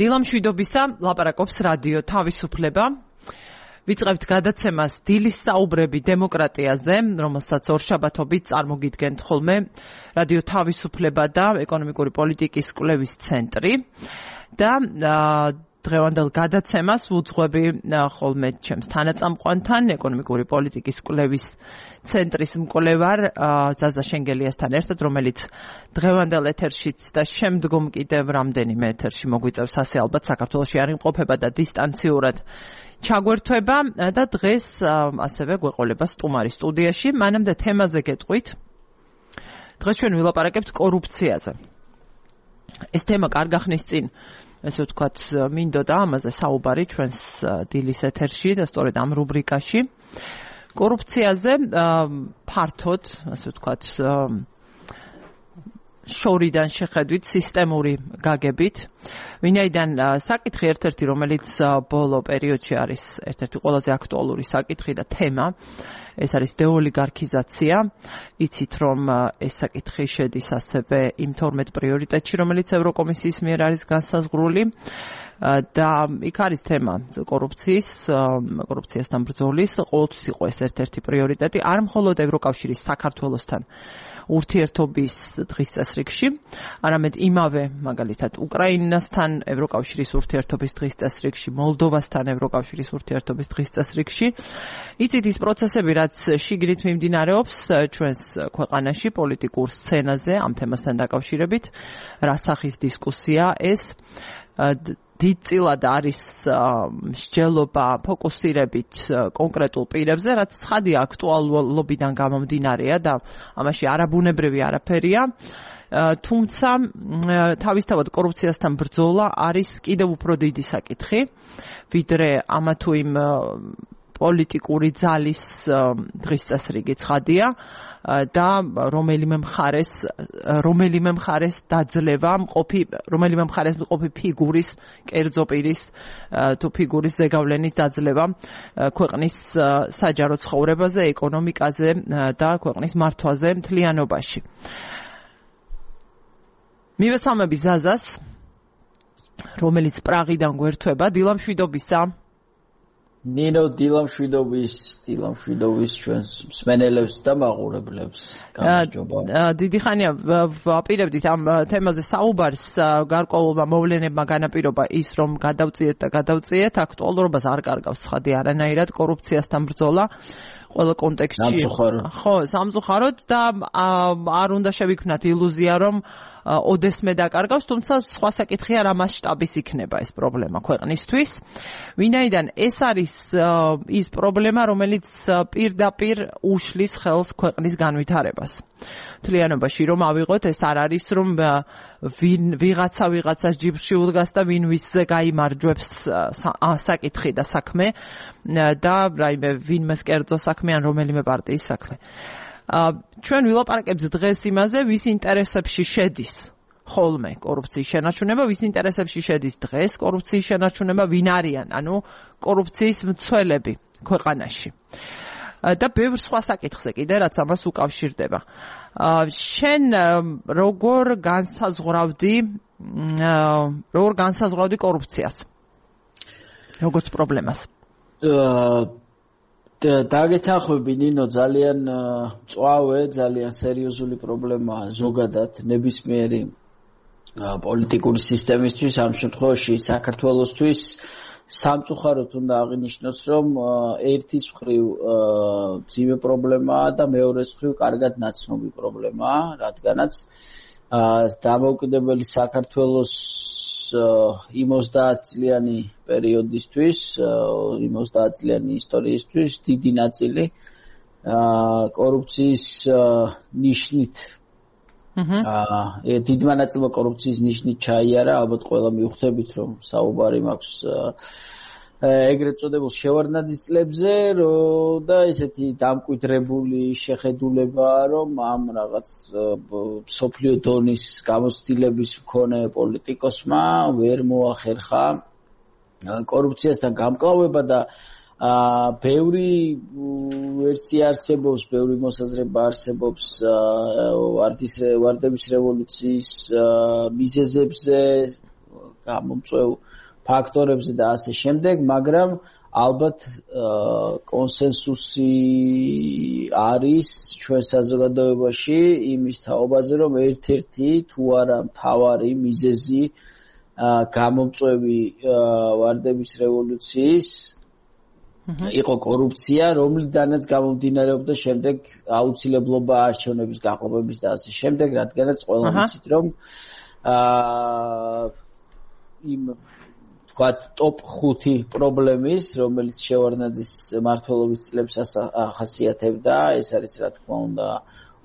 დილამშვიდობისა ლაპარაკობს რადიო თავისუფლება. ვიწყებთ გადაცემას დილის საუბრები დემოკრატიაზე, რომელსაც ორშაბათობით წარმოგიდგენთ ხოლმე რადიო თავისუფლება და ეკონომიკური პოლიტიკის კვლევის ცენტრი. და დღევანდელ გადაცემას ვუძღვები ხოლმე ჩემს თანაწამყვანთან, ეკონომიკური პოლიტიკის კვლევის ცენტრის მკვლევარ ზაზა შენგელიასთან ერთად, რომელიც დღევანდელ ეთერშიც და შემდგომ კიდევ რამდენიმე ეთერში მოგვიწევს, ასე ალბათ საქართველოში არ იმყოფება და დისტანციურად ჩაგვერთვება და დღეს ასევე გვეყოლება სტუმარი სტუდიაში. მანამდე თემაზე გეტყვით. დღეს ჩვენ ვილაპარაკებთ კორუფციაზე. ეს თემა კარგ ახნის წინ, ესე ვთქვათ, მინდოდა ამაზე საუბარი ჩვენს დილის ეთერში და სწორედ ამ რუბრიკაში. კორუფციაზე ფართოდ, ასე ვთქვათ, შორიდან შეხედვით, სისტემური გაგებით. ვინაიდან საკითხი ერთ-ერთი, რომელიც ბოლო პერიოდში არის ერთ-ერთი ყველაზე აქტუალური საკითხი და თემა, ეს არის დეოლიგარქიზაცია. იცით, რომ ეს საკითხი შედის ასევე იმ 12 პრიორიტეტში, რომელიც ევროკომისიის მიერ არის განსაზღვრული. და იქ არის თემა კორუფციასთან ბრძოლის, ყოველთვის იყო ეს ერთ-ერთი პრიორიტეტი, არ მხოლოდ ევროკავშირის საქართველოსთან ურთიერთობის დღის წესრიგში, არამედ იმავე მაგალითად უკრაინასთან ევროკავშირის ურთიერთობის დღის წესრიგში, მოლდოვასთან ევროკავშირის ურთიერთობის დღის წესრიგში. იცით ის პროცესები, რაც შიგნით მიმდინარეობს ჩვენს ქვეყანაში პოლიტიკურ სცენაზე ამ თემასთან დაკავშირებით, რა სახის დისკუსია ეს დიდწილად არის მსჯელობა ფოკუსირებით კონკრეტულ პირებზე, რაც ცხადია აქტუალობიდან გამომდინარეა და ამაში არაბუნებრივი არაფერია. თუმცა თავისთავად კორუფციასთან ბრძოლა არის კიდევ უფრო დიდი საკითხი, ვიდრე ამა თუ იმ პოლიტიკური ძალის დღის წესრიგი ცხადია. და რომელიმე მხარეს დაძლევა რომელიმე მხარეს მყოფი ფიგურის, კერძო პირის თუ ფიგურის ზეგავლენის დაძლევა ქვეყნის საჯარო ცხოვრებაზე, ეკონომიკაზე და ქვეყნის მართვაზე მთლიანობაში. მივესალმები ზაზას, რომელიც პრაღიდან გვერთვება. დილამშვიდობისა. ნინო, დილამშვიდობის ჩვენს მსმენელებს და მაყურებლებს. გამარჯობა. დიდი ხანია ვაპირებდით ამ თემაზე საუბარს, გარკვეულმა მოვლენებმა განაპირობა ის, რომ გადავწიეთ, აქტუალურობას არ კარგავს ცხადი არანაირად კორუფციასთან ბრძოლა. ყველა კონტექსტში. ხო, სამწუხაროდ და არ უნდა შევიქმნათ ილუზია, რომ ოდესმე დაკარგავს, თუმცა სხვა საკითხია რა მასშტაბის იქნება ეს პრობლემა ქვეყნისთვის. ვინაიდან ეს არის ის პრობლემა, რომელიც პირდაპირ უშლის ხელს ქვეყნის განვითარებას. მთლიანობაში რომ ავიღოთ, ეს არ არის რომ ვიღაცას ჯიბრში უდგას და ვინ ვისზე გაიმარჯვებს საკითხი და საქმე და რაიმე ვინმეს კერძო საქმე ან რომელიმე პარტიის საქმე. ჩვენ ვილაპარაკებთ დღეს იმაზე, ვის ინტერესებში შედის ხოლმე კორუფციის შენარჩუნება, ვის ინტერესებში შედის დღეს კორუფციის შენარჩუნება, ვინ არიან, ანუ კორუფციის მცველები ქვეყანაში. და ბევრ სხვა საკითხზე კიდე, რაც ამას უკავშირდება. შენ როგორ განსაზღვრავდი კორუფციას? როგორც პრობლემას? დაგეთანხმები ნინო, ძალიან მწვავე, ძალიან სერიოზული პრობლემაა ზოგადად ნებისმიერი პოლიტიკური სისტემისთვის, ამ შემთხვევაში საქართველოსთვის. სამწუხაროდ უნდა აღინიშნოს, რომ ერთის მხრივ ძიმე პრობლემაა და მეორეს მხრივ კარგად ნაცნობი პრობლემაა, რადგანაც დამოუკიდებელი საქართველოს 90-წლიანი პერიოდისთვის, 90-წლიანი ისტორიისთვის დიდი ნაწილი კორუფციის ნიშნით დიდმა ნაწილმა კორუფციის ნიშნით ჩაიარა. ალბათ ყველა მიხვდებით, რომ საუბარი მაქვს ეგრეთ წოდებულ შევარდნაძის წლებზე და ესეთი დამკვიდრებული შეხედულებაა, რომ ამ რაღაც მსოფლიო დონის გამოცდილების მქონე პოლიტიკოსმა ვერ მოახერხა კორუფციასთან გამკლავება და ბევრი ვერსია არსებობს, ბევრი მოსაზრება არსებობს ვარდების რევოლუციის მიზეზებზე, გამომწვევ ფაქტორებზე და ასე შემდეგ, მაგრამ ალბათ კონსენსუსი არის ჩვენ საზოგადოებაში იმის თაობაზე, რომ ერთ-ერთი თუ არა მთავარი მიზეზი გამომწვევი ვარდების რევოლუციის იყო კორუფცია, რომლიდანაც გამომდინარეობდა შემდეგ აუცილებლობა არჩევნების გაყოფების და ასე შემდეგ, რადგანაც ყველა ვიცით, რომ იმ თქვათ ტოპ 5 პრობლემის, რომელიც შევარდნაძის მმართველობის წლებს ახასიათებდა, ეს არის რა თქმა უნდა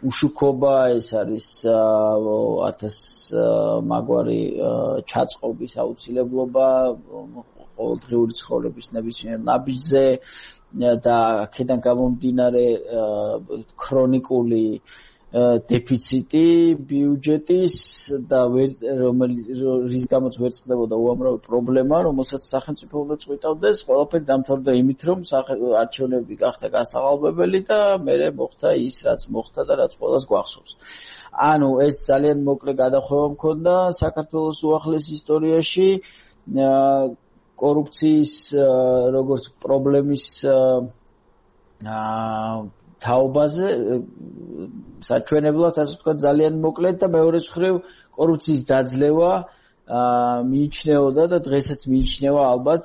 უშუქობა, ეს არის 1000 მაგვარი ჩაწყობის აუცილებლობა ყოველდღიური ცხოვრების ნებისმიერ ნაბიჯზე და აქედან გამომდინარე ქრონიკული დეფიციტი ბიუჯეტის და რის გამოც ვერ წყდებოდა უამრავი პრობლემა, რომელსაც სახელმწიფო უნდა წვითავდეს, ყველაფერი დამთავრდა იმით, რომ არჩევნები გახდა გასაღალბებელი და მერე მოხდა ის, რაც მოხდა და რაც ყველას გვახსოვს. ანუ ეს ძალიან მოკლე გადახვევა მქონდა საქართველოს უახლეს ისტორიაში კორუფციის როგორც პრობლემის თაობაზე საჩვენებლად ასე ვთქვათ ძალიან მოკლედ და მეორე მხრივ კორუფციის დაძლევა მიიჩნეოდა და დღესაც მიიჩნევა ალბათ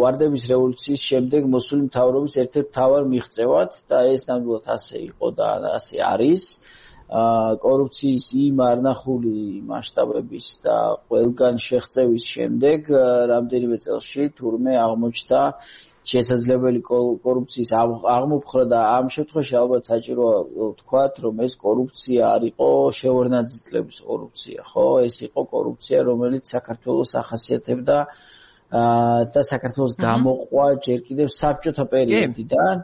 ვარდების რევოლუციის შემდეგ მოსული მთავრობის ერთ-ერთ მთავარ მიღწევად და ეს ნამდვილად ასე იყო და ასე არის. კორუფციის იმ არნახული მასშტაბების და ყველგან შეღწევის შემდეგ რამდენიმე წელში თურმე აღმოჩნდა შესაძლებელი კორუფციის აღმოფხვრა და ამ შემთხვევაში ალბათ საჭიროა ვთქვათ, რომ ეს კორუფცია არ იყო შევარდნაძის წლების კორუფცია, ხო? ეს იყო კორუფცია, რომელიც საქართველოს ახასიათებდა და საქართველოს გამოყვა ჯერ კიდევ საბჭოთა პერიოდიდან,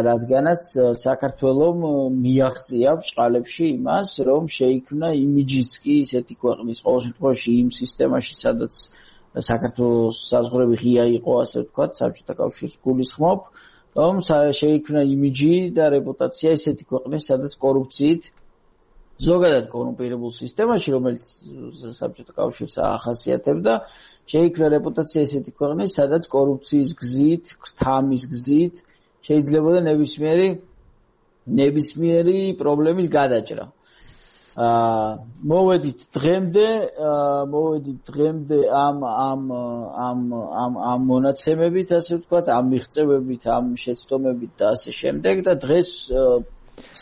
რადგანაც საქართველომ მიაღწია ბრჭყალებში იმას, რომ შეიქმნა იმიჯიც კი ისეთი ქვეყნის ყოველ შემთხვევაში იმ სისტემაში, სადაც საქართველოს საზღვრები ღია იყო, ასე ვთქვათ, საბჭოთა კავშირს გულისხმობ, რომ შეიქმნა იმიჯი და რეპუტაცია ისეთი ქვეყნის, სადაც კორუფციით ზოგადად კორუმპირებულ სისტემაში, რომელიც საბჭოთა კავშირს ახასიათებდა, შეიქმნა რეპუტაცია ისეთი ქვეყნის, სადაც კორუფციის გზით, ქრთამის გზით შეიძლებოდა ნებისმიერი პრობლემის გადაჭრა. მოვედით დღემდე ამ მონაცემებით, ასე ვთქვათ, ამ მიღწევებით, ამ შეცდომებით და ასე შემდეგ და დღეს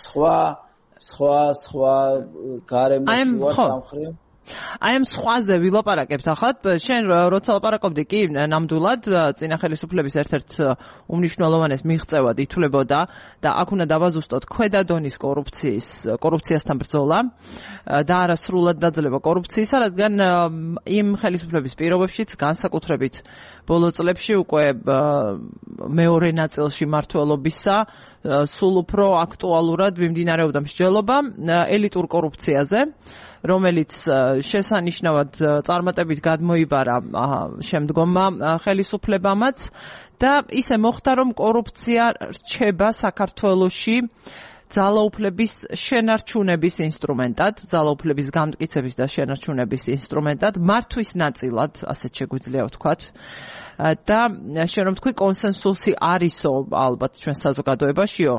სხვა გარემოში ვარ სამხრივ. აი ამ სხვაზე ვილაპარაკებთ ახლა. შენ როცა ლაპარაკობდი კი ნამდვილად წინა ხელისუფლების ერთ-ერთ უმნიშვნელოვანეს მიღწევად ითვლებოდა და აქ უნდა დავაზუსტოთ ქვედა დონის კორუფციასთან ბრძოლა და არა სრულად დაძლევა კორუფციისა, რადგან იმ ხელისუფლების პირობებშიც განსაკუთრებით ბოლო წლებში უკვე მეორე ნაწილში მმართველობისა სულ უფრო აქტუალურად მიმდინარეობდა მსჯელობა ელიტურ კორუფციაზე, რომელიც შესანიშნავად წარმატებით გადმოიბარა შემდგომმა ხელისუფლებამაც და ისე მოხდა, რომ კორუფცია რჩება საქართველოში ძალაუფლების შენარჩუნების ინსტრუმენტად, ძალაუფლების გამტკიცების და შენარჩუნების ინსტრუმენტად, მართვის ნაწილად, ასეთ შეგვიძლია ვთქვათ. და შენ რომ თქვი კონსენსუსი არისო ალბათ ჩვენ საზოგადოებაშიო,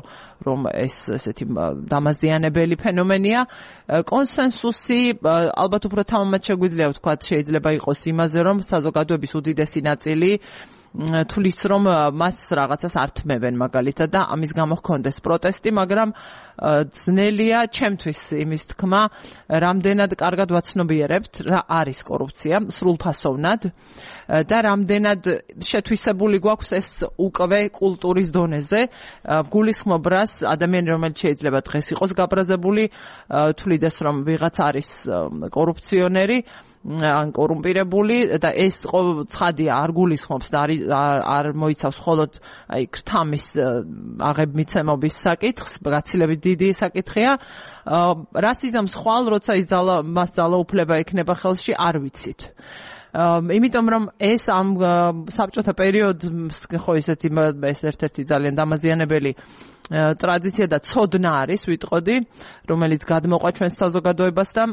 რომ ეს ესეთი დამაზიანებელი ფენომენია. კონსენსუსი ალბათ უფრო თამამად შეგვიძლია ვთქვათ, შეიძლება იყოს იმაზე, რომ საზოგადოების უდიდესი ნაწილი თulis რომ მას რაღაცას ართმევენ მაგალითად და ამის გამო ჰქონდეს პროტესტი, მაგრამ ძნელია ჩემთვის იმის თქმა, რამდენად კარგად ვაცნობიერებთ რა არის კორუფცია სრულფასოვნად და რამდენად შეთვისებული გვაქვს ეს უკვე კულტურის დონეზე. გულისხმობ რას ადამიანი, რომელიც შეიძლება დღეს იყოს გაბრაზებული, თulides რომ ვიღაც არის კორუფციონერი ან კორუმპირებული და ეს ცხადია არ გულისხმობს და არ მოიცავს მხოლოდ აი ქრთამის აღებმიცემობის საკითხს, გაცილებით დიდი საკითხია. რას იზამს ხვალ, როცა ის მას ძალაუფლება ექნება ხელში, არ ვიცით. იმიტომ რომ ეს ამ საბჭოთა პერიოდს ხო ესეთი ეს ერთ-ერთი ძალიან დამაზიანებელი ტრადიცია და ცოდნა არის, ვიტყოდი, რომელიც გადმოყვა ჩვენს საზოგადოებას და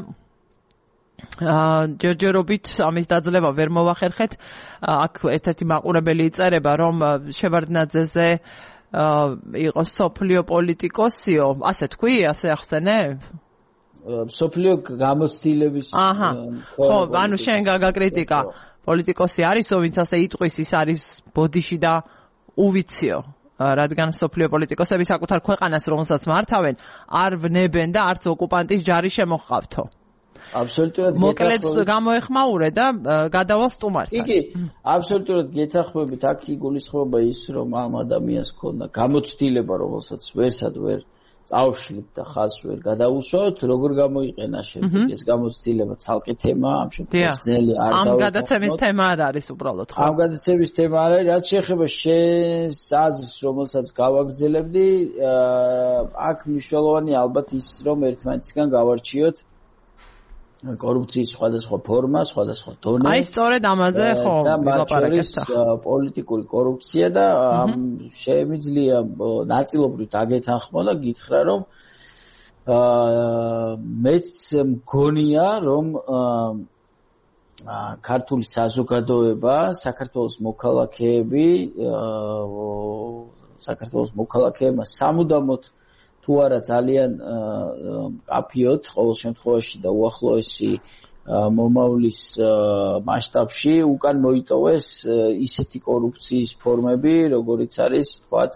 ჯერჯერობით ამის დაძლევა ვერ მოვახერხეთ. აქ ერთ-ერთი მაყურებელი იწერება, რომ შევარდნაძეზე იყო სოფლიო პოლიტიკოსიო, ასე თქვი, ასე ახსენე? სოფლიო გამოცდილების ხო, ანუ შენ გაგაკრიტიკა. პოლიტიკოსი არისო, ვინც ასე იტყვის, ის არის ბოდიში და უვიციო. რადგან სოფლიო პოლიტიკოსები საკუთარ ქვეყანას, რომელსაც მართავენ, არ ვნებენ და არც ოკუპანტის ჯარი შემოჰყავთო. აბსოლუტურად მოკლედ გამოეხმაურე და გადავალ სტუმართან. კი, აბსოლუტურად გეთანხმებით. აქ იგულისხმება ის, რომ ამ ადამიანს ჰქონდა გამოცდილება, რომელსაც ვერსად ვერ წავშლით და ხაზს ვერ გადაუსვათ, როგორ გამოიყენა შემდეგ ეს გამოცდილება ცალკე თემაა, ამ შემთხვევაში ძნელი არ დავეთანხმოთ. ამ გადაცემის თემა არ არის უბრალოდ, ხო? ამ გადაცემის თემა არ არის, რაც შეეხება შენს აზრს, რომელსაც გავაგრძელებდი, აქ მნიშვნელოვანი ალბათ ის, რომ ერთმანეთისგან გავარჩიოთ კორუფციის სხვადასხვა ფორმა, სხვადასხვა დონე. აი სწორედ ამაზე ხო ვილაპარაკეთ. პოლიტიკური კორუფცია და შემიძლია ნაწილობრივ დაგეთანხმო და გითხრა, რომ მეც მგონია, რომ ქართული საზოგადოება, საქართველოს მოქალაქეებმა სამუდამოდ თუ არა ძალიან კაფიოთ ყოველ შემთხვევაში და უახლოესი მომავლის მასშტაბში უკან მოიტოვეს ისეთი კორუფციის ფორმები, როგორიც არის, თქვათ,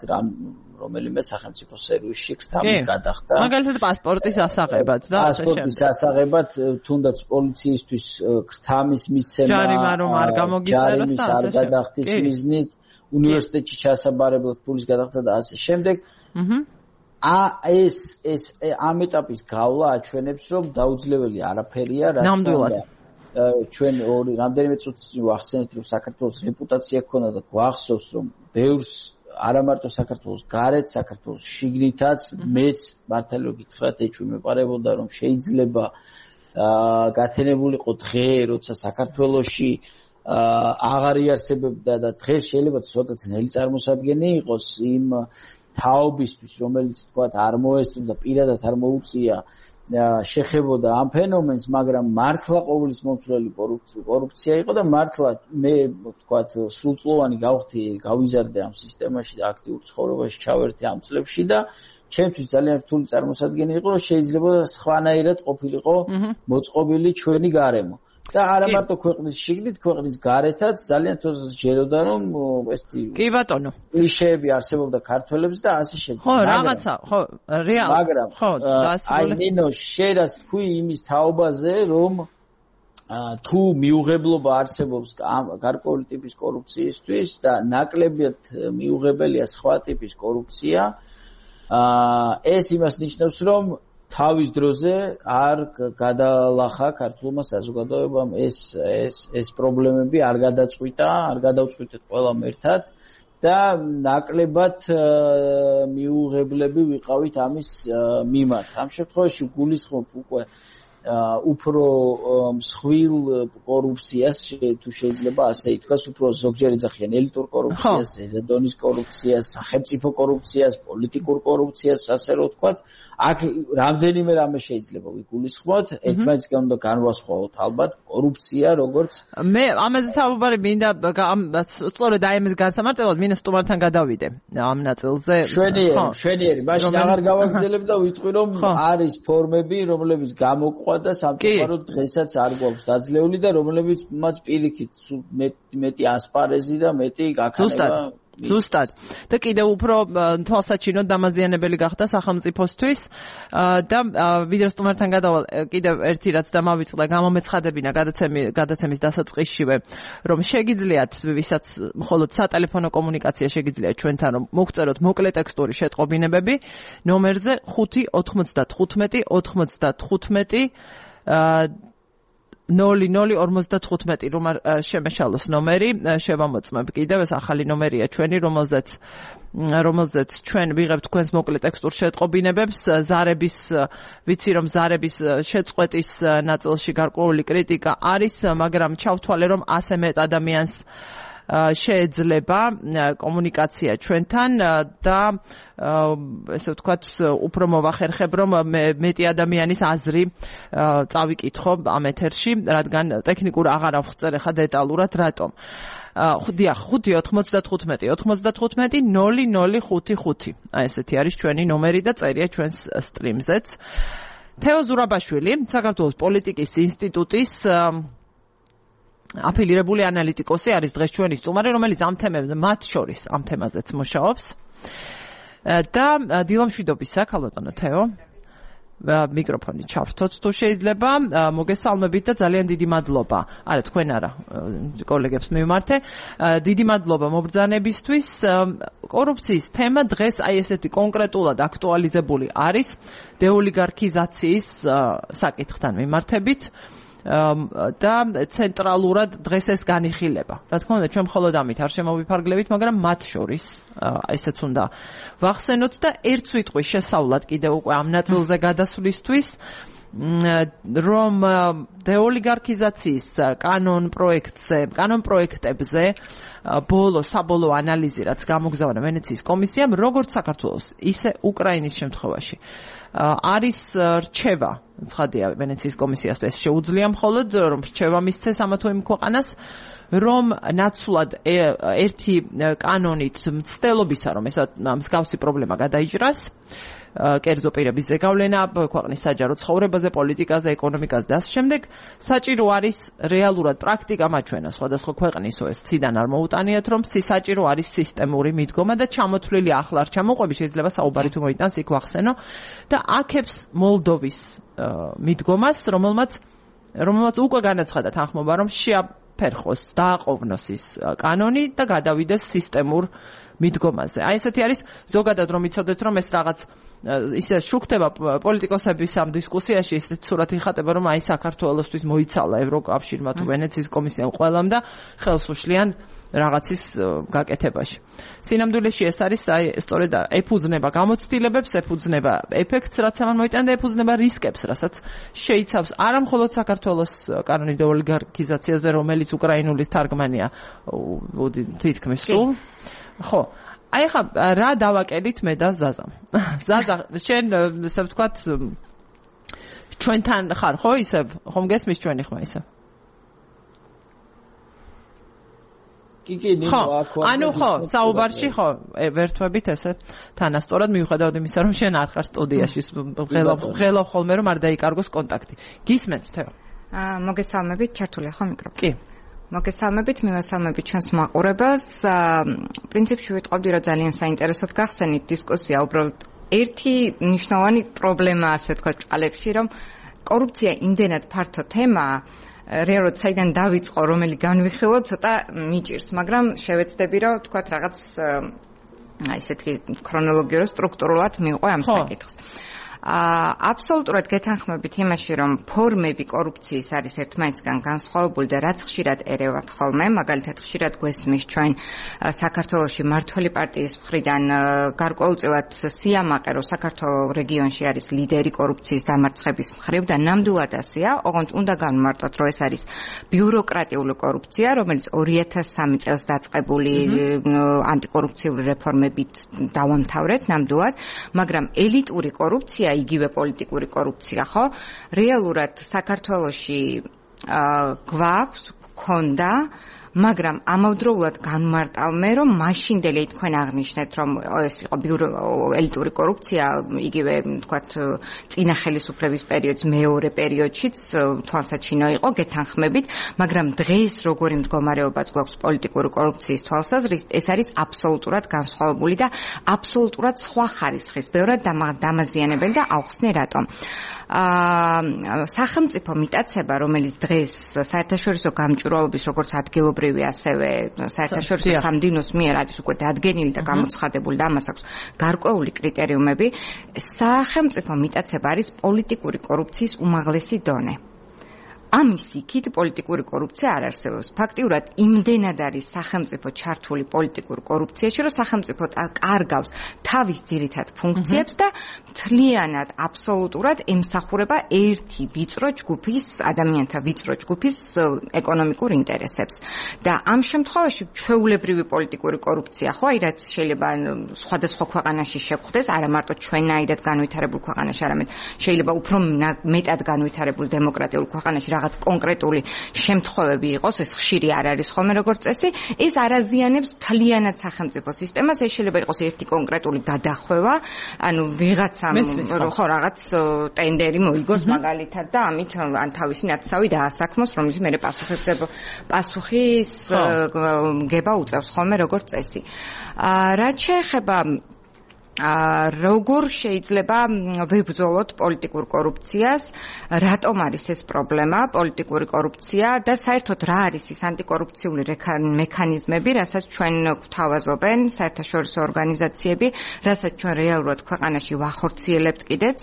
რომელიმე სახელმწიფო სერვისში ხთამის გადახდა. მაგალითად პასპორტის ასაღებად და ასე შემდეგ. პასპორტის ასაღებად, თუნდაც პოლიციისთვის ხთამის მიცემა, ჯარიმა რომ არ გამოგიწეროს და არ გადახდის მიზნით, უნივერსიტეტში ჩასაბარებლად ფულის გადახდა და ასე შემდეგ. ეს ამ ეტაპის გავლა აჩვენებს, რომ დაუძლეველი არაფერია, ნამდვილად. ჩვენ რამდენიმე წუთის წინ ვახსენეთ, რომ საქართველოს რეპუტაცია ჰქონდა და გვახსოვს, რომ ბევრს არა მარტო საქართველოს გარეთ, საქართველოს შიგნითაც მეც მართალია გითხრათ, ეჭვმეპარებოდა, რომ შეიძლება გათენებულიყო დღე, როცა საქართველოში აღარ იარსებებდა და დღეს შეიძლება ცოტა ძნელი წარმოსადგენი იყოს იმ თაობისთვის, რომელიც თქვათ არ მოესწრო და პირადად არ მოუწია შეხებოდა ამ ფენომენს, მაგრამ მართლა ყოვლის მომცველი კორუფცია იყო და მართლა მე თქვათ სრულწლოვანი გავხდი, გავიზარდე ამ სისტემაში და აქტიურ ცხოვრებაში ჩავერთე ამ წლებში და ჩემთვის ძალიან რთული წარმოსადგენი იყო, რომ შეიძლება სხვანაირად ყოფილიყო მოწყობილი ჩვენი გარემო. და არა მარტო ქვეყნის შიგნით, ქვეყნის გარეთაც ძალიან თოზს ჯეროდა, რომ კი ბატონო. კლიშეები არსებობდა ქართველებს და ასე შემდეგ. ხო, რაღაცა, ხო, რეალ. მაგრამ ხო, აი ნინო, შეიძლება თქვი იმის თაობაზე, რომ თუ მიუღებლობა არსებობს გარკვეული ტიპის კორუფციისთვის და ნაკლებად მიუღებელია სხვა ტიპის კორუფცია, ეს იმას ნიშნავს, რომ თავის დროზე არ გადალახა ქართულმა საზოგადოებამ ეს პრობლემები არ გადაწყვიტა, არ გადავწყვიტეთ ყველამ ერთად და ნაკლებად მიუღებლები ვიყავით ამის მიმართ. ამ შემთხვევაში გულისხმობ უკვე უფრო მსხვილ კორუფციას, თუ შეიძლება ასე ითქვას, უფრო ზოგჯერ ეძახიან ელიტურ კორუფციას, დონის კორუფციას, სახელმწიფო კორუფციას, პოლიტიკურ კორუფციას, ასე რომ ვთქვათ. აქ რამდენიმე რამე შეიძლება ვიგულისხმოთ, ერთმანეთისგან უნდა განვასხვაოთ ალბათ კორუფცია როგორც მე ამაზე საუბარი მინდა სწორედ აი ამის განსამარტებად მინდა სტუმართან გადავიდე ამ ნაწილზე. შვენიერი, მაშინ აღარ გავაგრძელებ და ვიტყვი რომ არის ფორმები, რომლებიც გამოყვა და სამწუხაროდ დღესაც არ გვაქვს დაძლეული და რომლებიც მას პირიქით მეტი ასპარეზი და მეტი გაქანება ზუსტად და კიდევ უფრო თვალსაჩინო დამაზიანებელი გახდა სახელმწიფოსთვის და ვიდეოს სტუმართან გადავალ კიდევ ერთი რაც დამავიწყდა გამომეცხადებინა გადაცემის დასაწყისშივე რომ შეგიძლიათ ვისაც მხოლოდ სატელეფონო კომუნიკაცია შეგიძლიათ ჩვენთან რომ მოგწეროთ მოკლე ტექსტური შეტყობინებები ნომერზე 595 95 0055 რომ შემეშალოს ნომერი შევამოწმებ კიდევ ეს ახალი ნომერია ჩვენი რომელზეც ჩვენ ვიღებთ თქვენს მოკლე ტექსტურ შეტყობინებებს ზარების ვიცი რომ ზარების შეწყვეტის ნაწილში გარკვეული კრიტიკა არის მაგრამ ჩავთვალე რომ ასე მეტ ადამიანს შეეძლება კომუნიკაცია ჩვენთან და ესე ვთქვათ, უფრო მოვახერხებ, რომ მეტი ადამიანის აზრი წავიკითხო ამ ეთერში, რადგან ტექნიკურ აღარ ავხსწერ ახლა დეტალურად რატომ. 5-95-95-0055. აი ესეთი არის ჩვენი ნომერი და წერია ჩვენს სტრიმზეც. თეო ზურაბაშვილი, საქართველოს პოლიტიკის ინსტიტუტის აფილირებული ანალიტიკოსი არის დღეს ჩვენი სტუმარი, რომელიც ამ თემებზე, მათ შორის ამ თემაზეც მუშაობს. და დილამშვიდობისა, ქალბატონო თეო. მიკროფონი ჩავრთოთ თუ შეიძლება, მოგესალმებით და ძალიან დიდი მადლობა. არა, თქვენ არა, კოლეგებს მივმართე. დიდი მადლობა მობრძანებისთვის. კორუფციის თემა დღეს აი ესეთი კონკრეტულად აქტუალიზებული არის დეოლიგარქიზაციის საკითხთან მიმართებით. და ცენტრალურად დღეს ეს განიხილება. რა თქმა უნდა, ჩვენ მხოლოდ ამით არ შემოვიფარგლებით, მაგრამ მათ შორის ესეც უნდა ვახსენოთ და ერთ სიტყვის შესავლად კიდევ უკვე ამ ნაწილზე გადასვლისთვის, რომ დეოლიგარქიზაციის კანონ პროექტებზე საბოლოო ანალიზი რაც გამოგზავნა ვენეციის კომისიამ, როგორც საქართველოს, ისე უკრაინის შემთხვევაში არის რჩევა, ცხადია ვენეციის კომისიას ეს შეუძლია მხოლოდ რომ რჩევა მისცეს ამა თუ იმ ქვეყანას, რომ ნაცვლად ერთი კანონით მცდელობისა, რომ ესა მსგავსი პრობლემა გადაიჭრას, კერძო პირების ზეგავლენა ქვეყნის საჯარო ცხოვრებაზე, პოლიტიკაზე, ეკონომიკაზე და ამ შემდეგ საჭირო არის რეალურად პრაქტიკა მაჩვენა სხვადასხვა ქვეყნისო ეს ციდან არ მოუტანიათ, რომ საჭირო არის სისტემური მიდგომა და ჩამოთვლილი ახლა არ ჩამოყვები, შეიძლება საუბარი თუ მოიტანს იქ ვახსენო და აქებს მოლდოვის მიდგომას, რომელმაც უკვე განაცხადა თანხმობა, რომ შეაფერხოს, დააყოვნოს ის კანონი და გადავიდეს სისტემურ მიდგომაზე. აი ესეთი არის ზოგადად რომ იცოდეთ, რომ ეს რაღაც ისე შუქდება პოლიტიკოსების ამ დისკუსიაში, ისეთ სურათი ხატება, რომ აი საქართველოსთვის მოიცალა ევროკავშირმა თუ ვენეციის კომისიამ ყველამ და ხელს უშლიან რაღაცის გაკეთებაში. სინამდვილეში ეს არის აი სწორედ ეფუძნება გამოცდილებებს, ეფუძნება ეფექტს, რაც ამან მოიტანა და ეფუძნება რისკებს, რასაც შეიცავს არა მხოლოდ საქართველოს კანონი დეოლიგარქიზაციაზე, რომელიც უკრაინულის თარგმანია თითქმის სულ. ხო, აი ხა რა დავაკეთეთ მე და ზაზამ. ზაზა, შენ ესე ვთქვათ ჩვენთან ხარ, ხო, ისევ ხომ გესმის ჩვენი ხმა ისევ? ანუ ხო, საუბარში ხო, ვერთვებით ესე თანასწორად მიუხედავად იმისა, რომ შენ არ ხარ სტუდიაში, ღელავ ხოლმე რომ არ დაიკარგოს კონტაქტი. გისმენთ თეო? მოგესალმებით, ჩართულია ხო მიკროფონი? კი. მოგესალმებით, მივესალმებით ჩვენს მაყურებელს. პრინციპში ვიტყობდი, რომ ძალიან საინტერესოდ გახსენით დისკუსია, უბრალოდ ერთი მნიშვნელოვანი პრობლემა, ასე ვთქვათ, ჭყალებში, რომ კორუფცია იმდენად ფართო თემაა, რეალურად საიდან დავიწყო, რომელი განვიხილო, ცოტა მიჭირს, მაგრამ შევეცდები, რომ ვთქვათ, რაღაც ესეთი ქრონოლოგიურად, სტრუქტურულად მივყვე ამ საკითხს. აბსოლუტურად გეთანხმებით იმაში, რომ ფორმები კორუფციის არის ერთმანეთისგან განსხვავებული და რაც ხშირად ერევათ ხოლმე, მაგალითად ხშირად გვესმის ჩვენ საქართველოში მმართველი პარტიის მხრიდან გარკვეულწილად სიამაყე, რომ საქართველოს რეგიონში არის ლიდერი კორუფციის დამარცხების მხრივ და ნამდვილად ასეა, ოღონდ უნდა განმარტოთ, რომ ეს არის ბიუროკრატიული კორუფცია, რომელიც 2003 წელს დაწყებული ანტიკორუფციული რეფორმებით დავამთავრეთ ნამდვილად, მაგრამ ელიტური კორუფცია იგივე პოლიტიკური კორუფცია, ხო? რეალურად საქართველოში გვაქვს, გქონდა, მაგრამ ამავდროულად განმარტავმე, რომ მაშინდელი თქვენ აღნიშნეთ, რომ ეს იყო ელიტური კორუფცია, იგივე, თქვათ, წინა ხელისუფლების პერიოდს, მეორე პერიოდშიც თვალსაჩინო იყო, გეთანხმებით, მაგრამ დღეს როგორი მდგომარეობაც გვაქვს პოლიტიკური კორუფციის თვალსაზრისით, ეს არის აბსოლუტურად განსხვავებული და აბსოლუტურად სხვა ხარისხის, ბევრად დამაზიანებელი და ავხსნე რატომ. სახელმწიფო მიტაცება, რომელიც დღეს საერთაშორისო გამჭვირვალობის როგორც ადგილობრივი, ასევე საერთაშორისო სამდივნოს მიერ არის უკვე დადგენილი და გამოცხადებული და ამას აქვს გარკვეული კრიტერიუმები, სახელმწიფო მიტაცება არის პოლიტიკური კორუფციის უმაღლესი დონე. ამის იქით პოლიტიკური კორუფცია არ არსებობს. ფაქტიურად იმდენად არის სახელმწიფო ჩართული პოლიტიკურ კორუფციაში, რომ სახელმწიფო კარგავს თავის ძირითად ფუნქციებს და მთლიანად აბსოლუტურად ემსახურება ერთი ვიწრო ჯგუფის ადამიანთა ვიწრო ჯგუფის ეკონომიკურ ინტერესებს. და ამ შემთხვევაში ჩვეულებრივი პოლიტიკური კორუფცია, ხო, აი რაც შეიძლება სხვადასხვა ქვეყანაში შეხვდეს, არა მარტო ჩვენაირად განვითარებულ ქვეყანაში, არამედ შეიძლება უფრო მეტად განვითარებულ დემოკრატიულ ქვეყანაში რაღაც კონკრეტული შემთხვევები იყოს, ეს ხშირი არ არის ხოლმე როგორც წესი, ეს არ აზიანებს მთლიანად სახელმწიფო სისტემას, ეს შეიძლება იყოს ერთი კონკრეტული გადახვევა, ანუ ვიღაცამ ხო რაღაც ტენდერი მოიგოს მაგალითად და ამით ან თავისი ნაცავი დაასაქმოს, რომელიც მერე პასუხის გება უწევს ხოლმე როგორც წესი. რაც შეეხება როგორ შეიძლება ვებრძოლოთ პოლიტიკურ კორუფციას, რატომ არის ეს პრობლემა, პოლიტიკური კორუფცია და საერთოდ რა არის ის ანტიკორუფციული მექანიზმები, რასაც ჩვენ გვთავაზობენ საერთაშორისო ორგანიზაციები, რასაც ჩვენ რეალურად ქვეყანაში ვახორციელებთ კიდეც.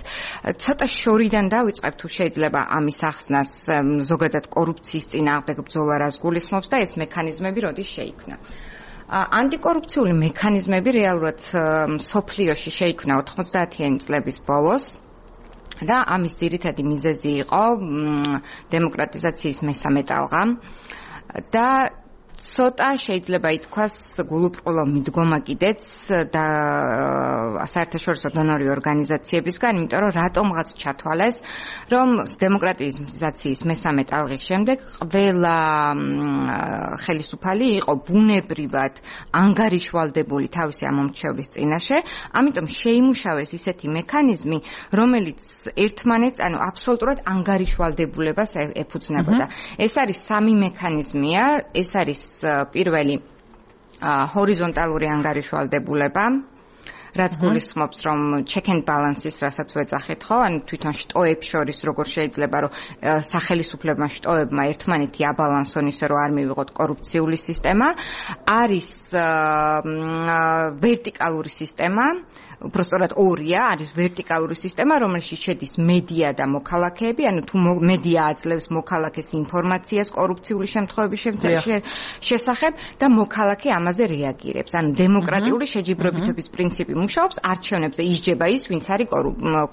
ცოტა შორიდან დავიწყებ თუ შეიძლება ამის ახსნას, ზოგადად კორუფციის წინააღმდეგ ბრძოლა რას გულისხმობს და ეს მექანიზმები როდის შეიქმნა. ანტიკორუფციული მექანიზმები რეალურად სოფლიოში შეიქმნა 90-იანი წლების ბოლოს და ამის ძირითადი მიზეზი იყო დემოკრატიზაციის მესამე ტალღა და ცოტა შეიძლება ითქვას გულუბრყვილო მიდგომა კიდეც და საერთაშორისო დონორი ორგანიზაციებისგან, იმიტომ რომ რატომღაც ჩათვალეს, რომ დემოკრატიზაციის მესამე ტალღის შემდეგ ყველა ხელისუფალი იყო ბუნებრივად ანგარიშვალდებული თავისი ამომრჩევლის წინაშე, ამიტომ შეიმუშავეს ისეთი მექანიზმი, რომელიც ერთმანეთს, ანუ აბსოლუტურად ანგარიშვალდებულებას ეფუძნებოდა. ეს არის სამი მექანიზმია, ეს არის პირველი ჰორიზონტალური ანგარიშვალდებულება, რაც გულისხმობს, რომ check and balance-ის, რასაც ვეძახით, ხო, ანუ თვითონ შტოებს შორის როგორ შეიძლება, რომ სახელისუფლებმა შტოებმა ერთმანეთი აბალანსონ ისე, რომ არ მივიღოთ კორუფციული სისტემა, არის ვერტიკალური სისტემა, უბრალოდ ორია, არის ვერტიკალური სისტემა, რომელშიც შედის მედია და მოქალაქეები, ანუ თუ მედია აძლევს მოქალაქეს ინფორმაციას კორუფციული შემთხვევების შესახებ და მოქალაქე ამაზე რეაგირებს. ანუ დემოკრატიული შეჯიბრებითობის პრინციპი მუშაობს, არჩევნებზე ისჯება ის, ვინც არის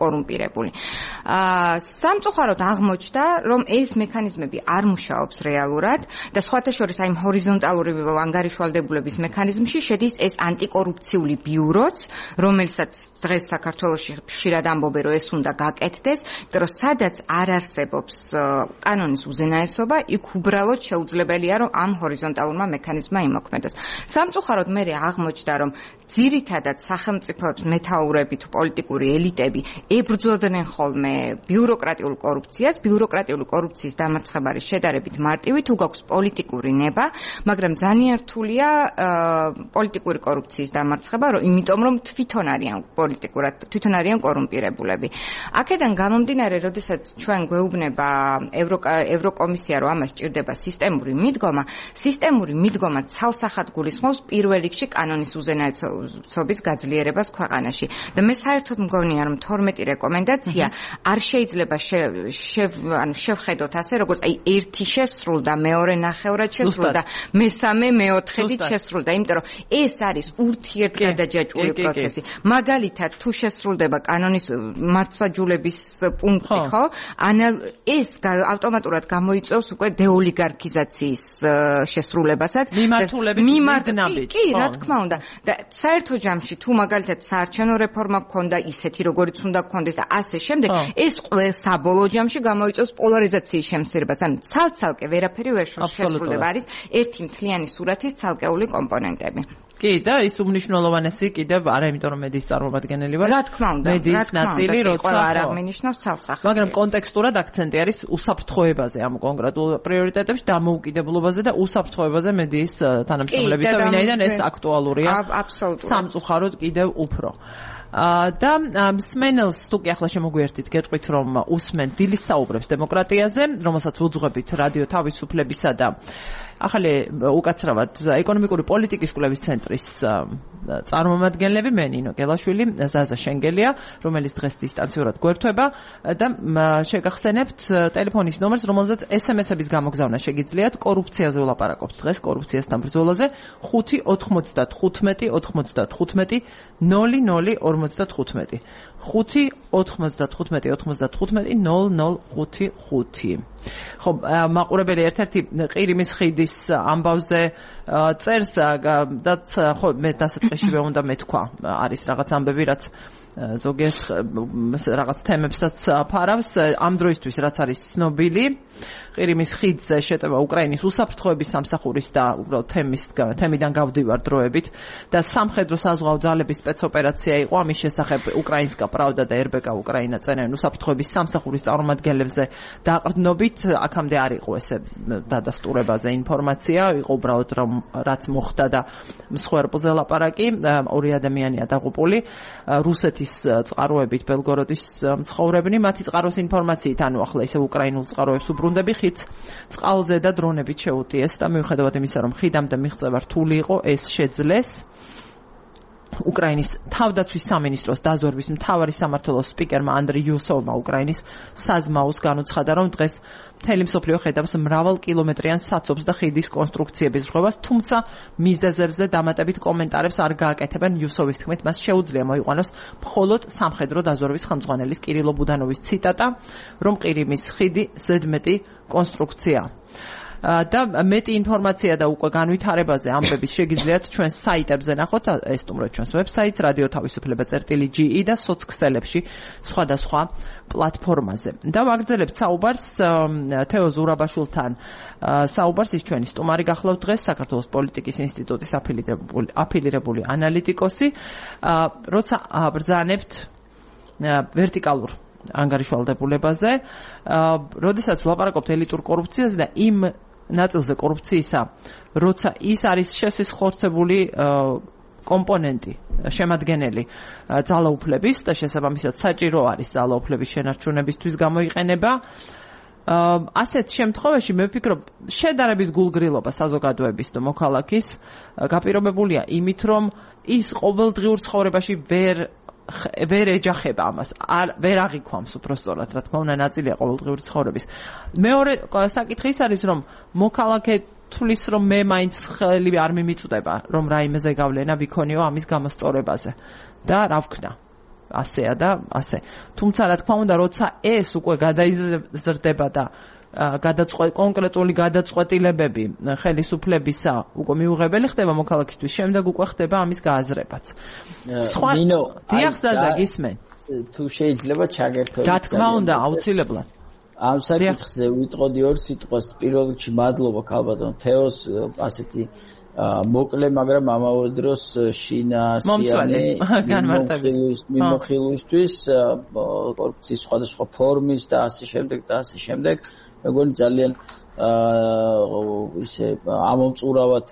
კორუმპირებული. სამწუხაროდ აღმოჩნდა, რომ ეს მექანიზმები არ მუშაობს რეალურად და სხვათა შორის აი ჰორიზონტალური ანგარიშვალდებულების მექანიზმში შედის ეს ანტიკორუფციული ბიუროც, რომელიც დღეს საქართველოში ხშირად ამბობენ, რომ ეს უნდა გაკეთდეს, იმიტომ რომ სადაც არ არსებობს კანონის უზენაესობა, იქ უბრალოდ შეუძლებელია, რომ ამ ჰორიზონტალურმა მექანიზმმა იმოქმედოს. სამწუხაროდ მე აღმოჩნდა, რომ ძირითადად სახელმწიფოებს მეთაურები თუ პოლიტიკური ელიტები ებრძოდნენ ხოლმე ბიუროკრატიულ კორუფციას, ბიუროკრატიული კორუფციის დამარცხება არის შედარებით მარტივი, თუ გაქვს პოლიტიკური ნება, მაგრამ ძალიან რთულია პოლიტიკური კორუფციის დამარცხება, იმიტომ რომ თვითონ არიან კორუმპირებულები. აქედან გამომდინარე, როდესაც ჩვენ გვეუბნება ევროკომისია, რომ ამას ჭირდება სისტემური მიდგომა ცალსახად გულისხმობს პირველ რიგში კანონის უზენაესობის გაძლიერებას ქვეყანაში. და მე საერთოდ მგონია, რომ 12 რეკომენდაცია არ შეიძლება შევხედოთ ასე, როგორც აი ერთი შესრულდა, მეორე ნახევრად შესრულდა, მესამე მეოთხედით შესრულდა, იმიტომ რომ ეს არის ურთიერთგადაჯაჭვული პროცესი. მაგალითად, თუ შესრულდება კანონის მართლმსაჯულების პუნქტი, ხო? ეს ავტომატურად გამოიწვევს უკვე დეოლიგარქიზაციის შესრულებასაც. მიმართულებით. კი, რა თქმა უნდა. და საერთო ჯამში, თუ მაგალითად საარჩევნო რეფორმა გქონდა ისეთი, როგორიც უნდა გქონდეს და ასე შემდეგ, ეს საბოლოო ჯამში გამოიწვევს პოლარიზაციის შემცირებას. ანუ ცალ-ცალკე ვერაფერი ვერ შესრულდება, არის ერთი მთლიანი სურათის ცალკეული კომპონენტები. კი, და ის უმნიშვნელოვანესი კიდევ არა, იმიტომ რომ მედიის წარმომადგენელი ვარ. რა თქმა უნდა, მედიის ნაწილი, როცა არ აღნიშნავს ცალსახად. მაგრამ კონტექსტურად აქცენტი არის უსაფრთხოებაზე ამ კონკრეტულ პრიორიტეტებში, დამოუკიდებლობაზე და უსაფრთხოებაზე მედიის თანამშრომლებისა, ვინაიდან ეს აქტუალურია. აბსოლუტურად. სამწუხაროდ კიდევ უფრო. და მსმენელს თუ კი ახლა შემოგვიერთით, გეტყვით, რომ უსმენთ დილის საუბრებს დემოკრატიაზე, რომელსაც უძღვებით რადიო თავისუფლებისა და ახალი უკაცრავად ეკონომიკური პოლიტიკის კვლევის ცენტრის წარმომადგენლები მე ნინო გელაშვილი, ზაზა შენგელია, რომელიც დღეს დისტანციურად გვერდება და შეგახსენებთ ტელეფონის ნომერს, რომელზეც SMS-ების გამოგზავნა შეგიძლიათ. კორუფციაზე ვლაპარაკობთ დღეს, კორუფციასთან ბრძოლაზე 5-95-95 00-55. 5-95-95-00-55. ხო, მაყურებელი ერთ-ერთი ყირიმის ხიდის ამბავზე წერს და ხო მე დასაწყისშივე უნდა მეთქვა, არის რაღაც ამბები, რაც ზოგიერთ რაღაც თემებსაც ფარავს. ამ დროისთვის რაც არის ცნობილი, ყირიმის ხიდზე შეტევა უკრაინის უსაფრთხოების სამსახურის და უბრალოდ თემიდან გავდივარ დროებით და სამხედრო საზღვაო ძალების სპეცოპერაცია იყო. ამის შესახებ უკრაინსკა პრავდა და RBK უკრაინა წერენ უსაფრთხოების სამსახურის წარმომადგენლებზე დაყრდნობით. აქამდე არ იყო ესე დადასტურებაზე ინფორმაცია, იყო უბრალოდ რაც მოხდა და მსხვერპლზე ლაპარაკი. ორი ადამიანია დაღუპული, რუსეთის წყაროებით ბელგოროდის მცხოვრებნი. მათი წყაროს ინფორმაციით, ანუ ახლა ისე უკრაინულ წყაროებს უბრუნდები, ხიდს წყალზე და დრონებით შეუტიეს და მიუხედავად იმისა, რომ ხიდამდე მიღწევა რთული იყო, ეს შეძლეს. უკრაინის თავდაცვის სამინისტროს დაზვერვის მთავარი სამმართველოს სპიკერმა ანდრი იუსოვმა უკრაინის საზმაოს განუცხადა, რომ დღეს მთელი მსოფლიო ხედავს მრავალ კილომეტრიან საცობს და ხიდის კონსტრუქციების ჟღებას, თუმცა მიზეზებზე დამატებით კომენტარებს არ გააკეთებენ. იუსოვის თქმით, მას შეუძლია მოიყვანოს მხოლოდ სამხედრო დაზვერვის ხელმძღვანელის კირილო ბუდანოვის ციტატა, რომ ყირიმის ხიდი ზედმეტი კონსტრუქციაა. და მეტი ინფორმაცია და უკვე განვითარებაზე ამბების შეგიძლიათ ჩვენს საიტებზე ნახოთ, ესტუმროთ ჩვენს ვებსაიტს radio-tavisufleba.ge და სოცქსელებში სხვადასხვა პლატფორმაზე. და ვაგრძელებთ საუბარს თეო ზურაბაშვილთან. საუბარს ის ჩვენი სტუმარი გახლავთ დღეს, საქართველოს პოლიტიკის ინსტიტუტის აფილირებული ანალიტიკოსი. როცა ბრძანებთ ვერტიკალურ ანგარიშვალდებულებაზე, როდესაც ვლაპარაკობთ ელიტურ კორუფციაზე და იმ ნაწილზე კორუფციისა, როცა ის არის შესახორცებული კომპონენტი, შემადგენელი ძალაუფლების და შესაბამისად საჭირო არის ძალაუფლების შენარჩუნებისთვის გამოიყენება. ასეთ შემთხვევაში მე ვფიქრობ, შედარებით გულგრილობა საზოგადოების და მოქალაქის გაპირობებულია იმით, რომ ის ყოველდღიურ ცხოვრებაში ვერ ეჯახება ამას, ვერ აღიქვამს უბრალოდ, რა თქმა უნდა, ნაწილია ყოველდღიური ცხოვრების. მეორე საკითხი ის არის, რომ მოქალაქე თulis, რომ მე მაინც ხელი არ მიმიწვდება, რომ რაიმეზე გავლენა ვიქონიო ამის გამოსწორებაზე და რა ვქნა. ასეა და ასე. თუმცა რა თქმა უნდა, როცა ეს უკვე გადაიზრდება და კონკრეტული გადაწყვეტილებები ხელისუფლებისა უკვე მიუღებელი ხდება მოქალაქისთვის, შემდეგ უკვე ხდება ამის გააზრებაც. ნინო, დიახსა გისმენ. თუ შეიძლება ჩაგერთო. რა თქმა უნდა, აუცილებლად. ამ საკითხზე ვიტყოდი ორ სიტყვას. პირველ რიგში მადლობა ქალბატონ თეოს ასეთი მოკლე, მაგრამ ამავე დროს შინაარსიანი მიმოხილვისთვის კორუფციის სხვადასხვა ფორმის და ასე შემდეგ და ასე შემდეგ. მეგონი ძალიან ისე ამომწურავად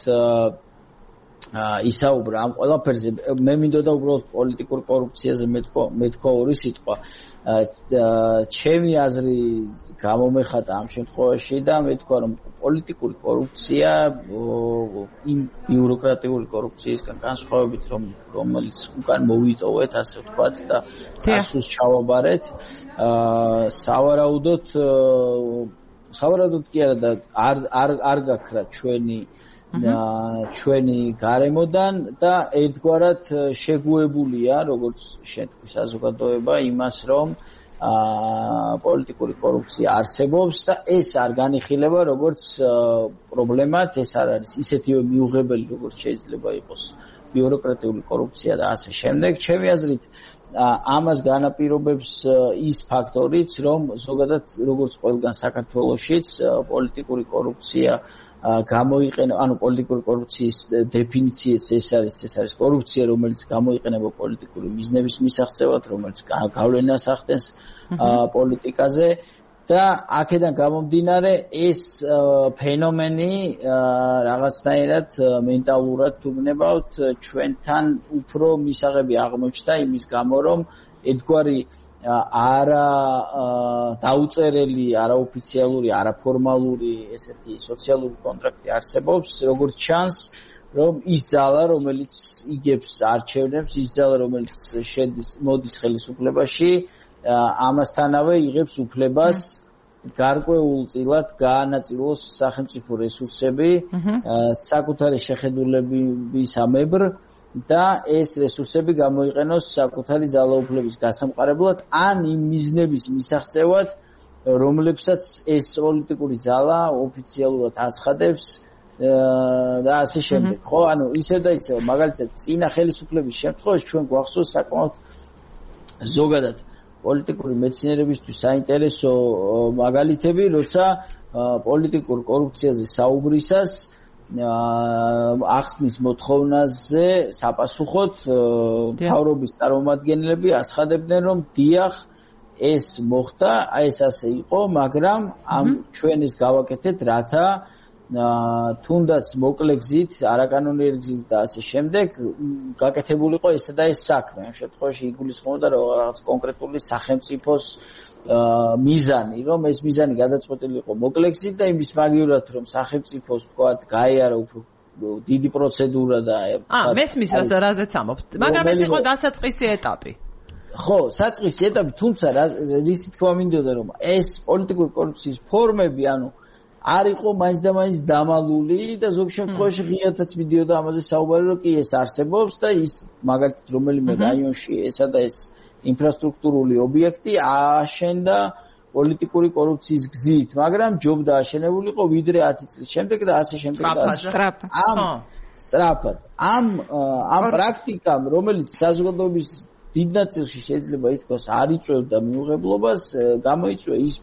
ისაუბრა ამ ყველაფერზე. მე მინდოდა უბრალოდ პოლიტიკურ კორუფციაზე მეთქვა ორი სიტყვა. ჩემი აზრი გამომეხატა ამ შემთხვევაში და მეთქვა, რომ პოლიტიკური კორუფცია იმ ბიუროკრატიული კორუფციისგან განსხვავებით, რომელიც უკან მოვიტოვეთ, ასე ვთქვათ და წასულს ჩავაბარეთ, სავარაუდოდ კი არა და არ გაქრა ჩვენი გარემოდან და ერთგვარად შეგუებულია, როგორც შეთქვი საზოგადოება, იმას, რომ პოლიტიკური კორუფცია არსებობს და ეს არ განიხილება როგორც პრობლემად, ეს არ არის ისეთივე მიუღებელი, როგორც შეიძლება იყოს ბიუროკრატიული კორუფცია და ასე შემდეგ. ჩემი აზრით, ამას განაპირობებს ის ფაქტორიც, რომ ზოგადად როგორც ყველგან საქართველოშიც პოლიტიკური კორუფცია გამოიყენება, ანუ პოლიტიკური კორუფციის დეფინიციაც ეს არის კორუფცია, რომელიც გამოიყენება პოლიტიკური მიზნების მისაღწევად, რომელიც გავლენას ახდენს პოლიტიკაზე და აქედან გამომდინარე ეს ფენომენი რაღაცნაირად მენტალურად თუ გნებავთ ჩვენთან უფრო მისაღები აღმოჩნდა იმის გამო, რომ ერთგვარი არა დაუწერელი, არაოფიციალური, არაფორმალური ესეთი სოციალური კონტრაქტი არსებობს, როგორც ჩანს, რომ ის ძალა, რომელიც იგებს არჩევნებს, ის ძალა, რომელიც მოდის ხელისუფლებაში, ამასთანავე იღებს უფლებას გარკვეულწილად გაანაწილოს სახელმწიფო რესურსები საკუთარი შეხედულებისამებრ და ეს რესურსები გამოიყენოს საკუთარი ძალაუფლების გასამყარებლად ან იმ მიზნების მისაღწევად, რომლებსაც ეს პოლიტიკური ძალა ოფიციალურად აცხადებს და ასე შემდეგ. ხო, ანუ ისევ და ისევ, მაგალითად, წინა ხელისუფლების შემთხვევაში ჩვენ გვახსოვს საკმაოდ ზოგადად პოლიტიკური მეცნიერებისთვის საინტერესო მაგალითები, როცა პოლიტიკურ კორუფციაზე საუბრისას ახსნის მოთხოვნაზე საპასუხოდ მთავრობის წარმომადგენლები აცხადებდნენ, რომ დიახ, ეს მოხდა, ეს ასე იყო, მაგრამ ჩვენ ეს გავაკეთეთ, რათა თუნდაც მოკლე გზით, არაკანონიერი გზით და ასე შემდეგ გაკეთებულიყო ესა და ეს საქმე. ამ შემთხვევაში იგულისხმობდა რაღაც კონკრეტული სახელმწიფოს მიზანი, რომ ეს მიზანი გადაწყვეტილიყო მოკლე გზით და იმის მაგივრად, რომ სახელმწიფოს თქვათ გაიარა უფრო დიდი პროცედურა და მესმის რაზეც ამობთ. მაგრამ ეს იყო დასაწყისი ეტაპი. ხო, საწყისი ეტაპი, თუმცა რის თქმა მინდოდა, რომ ეს პოლიტიკური კორუფციის ფორმები, ანუ არ იყო მაინც და მაინც დამალული და ზოგ შემთხვევაში ღიათაც მიდიოდა ამაზე საუბარი, რომ კი ეს არსებობს და ის მაგალითად რომელიმე რაიონში ესა და ეს ინფრასტრუქტურული ობიექტი აშენდა პოლიტიკური კორუფციის გზით, მაგრამ ჯობდა აშენებულიყო ვიდრე 10 წლის შემდეგ და ასე შემდეგ და ასე. სწრაფად. ამ პრაქტიკამ, რომელიც საზოგადოების დიდ ნაწილში შეიძლება ითქვას არ იწვევდა მიუღებლობას, გამოიწვია ის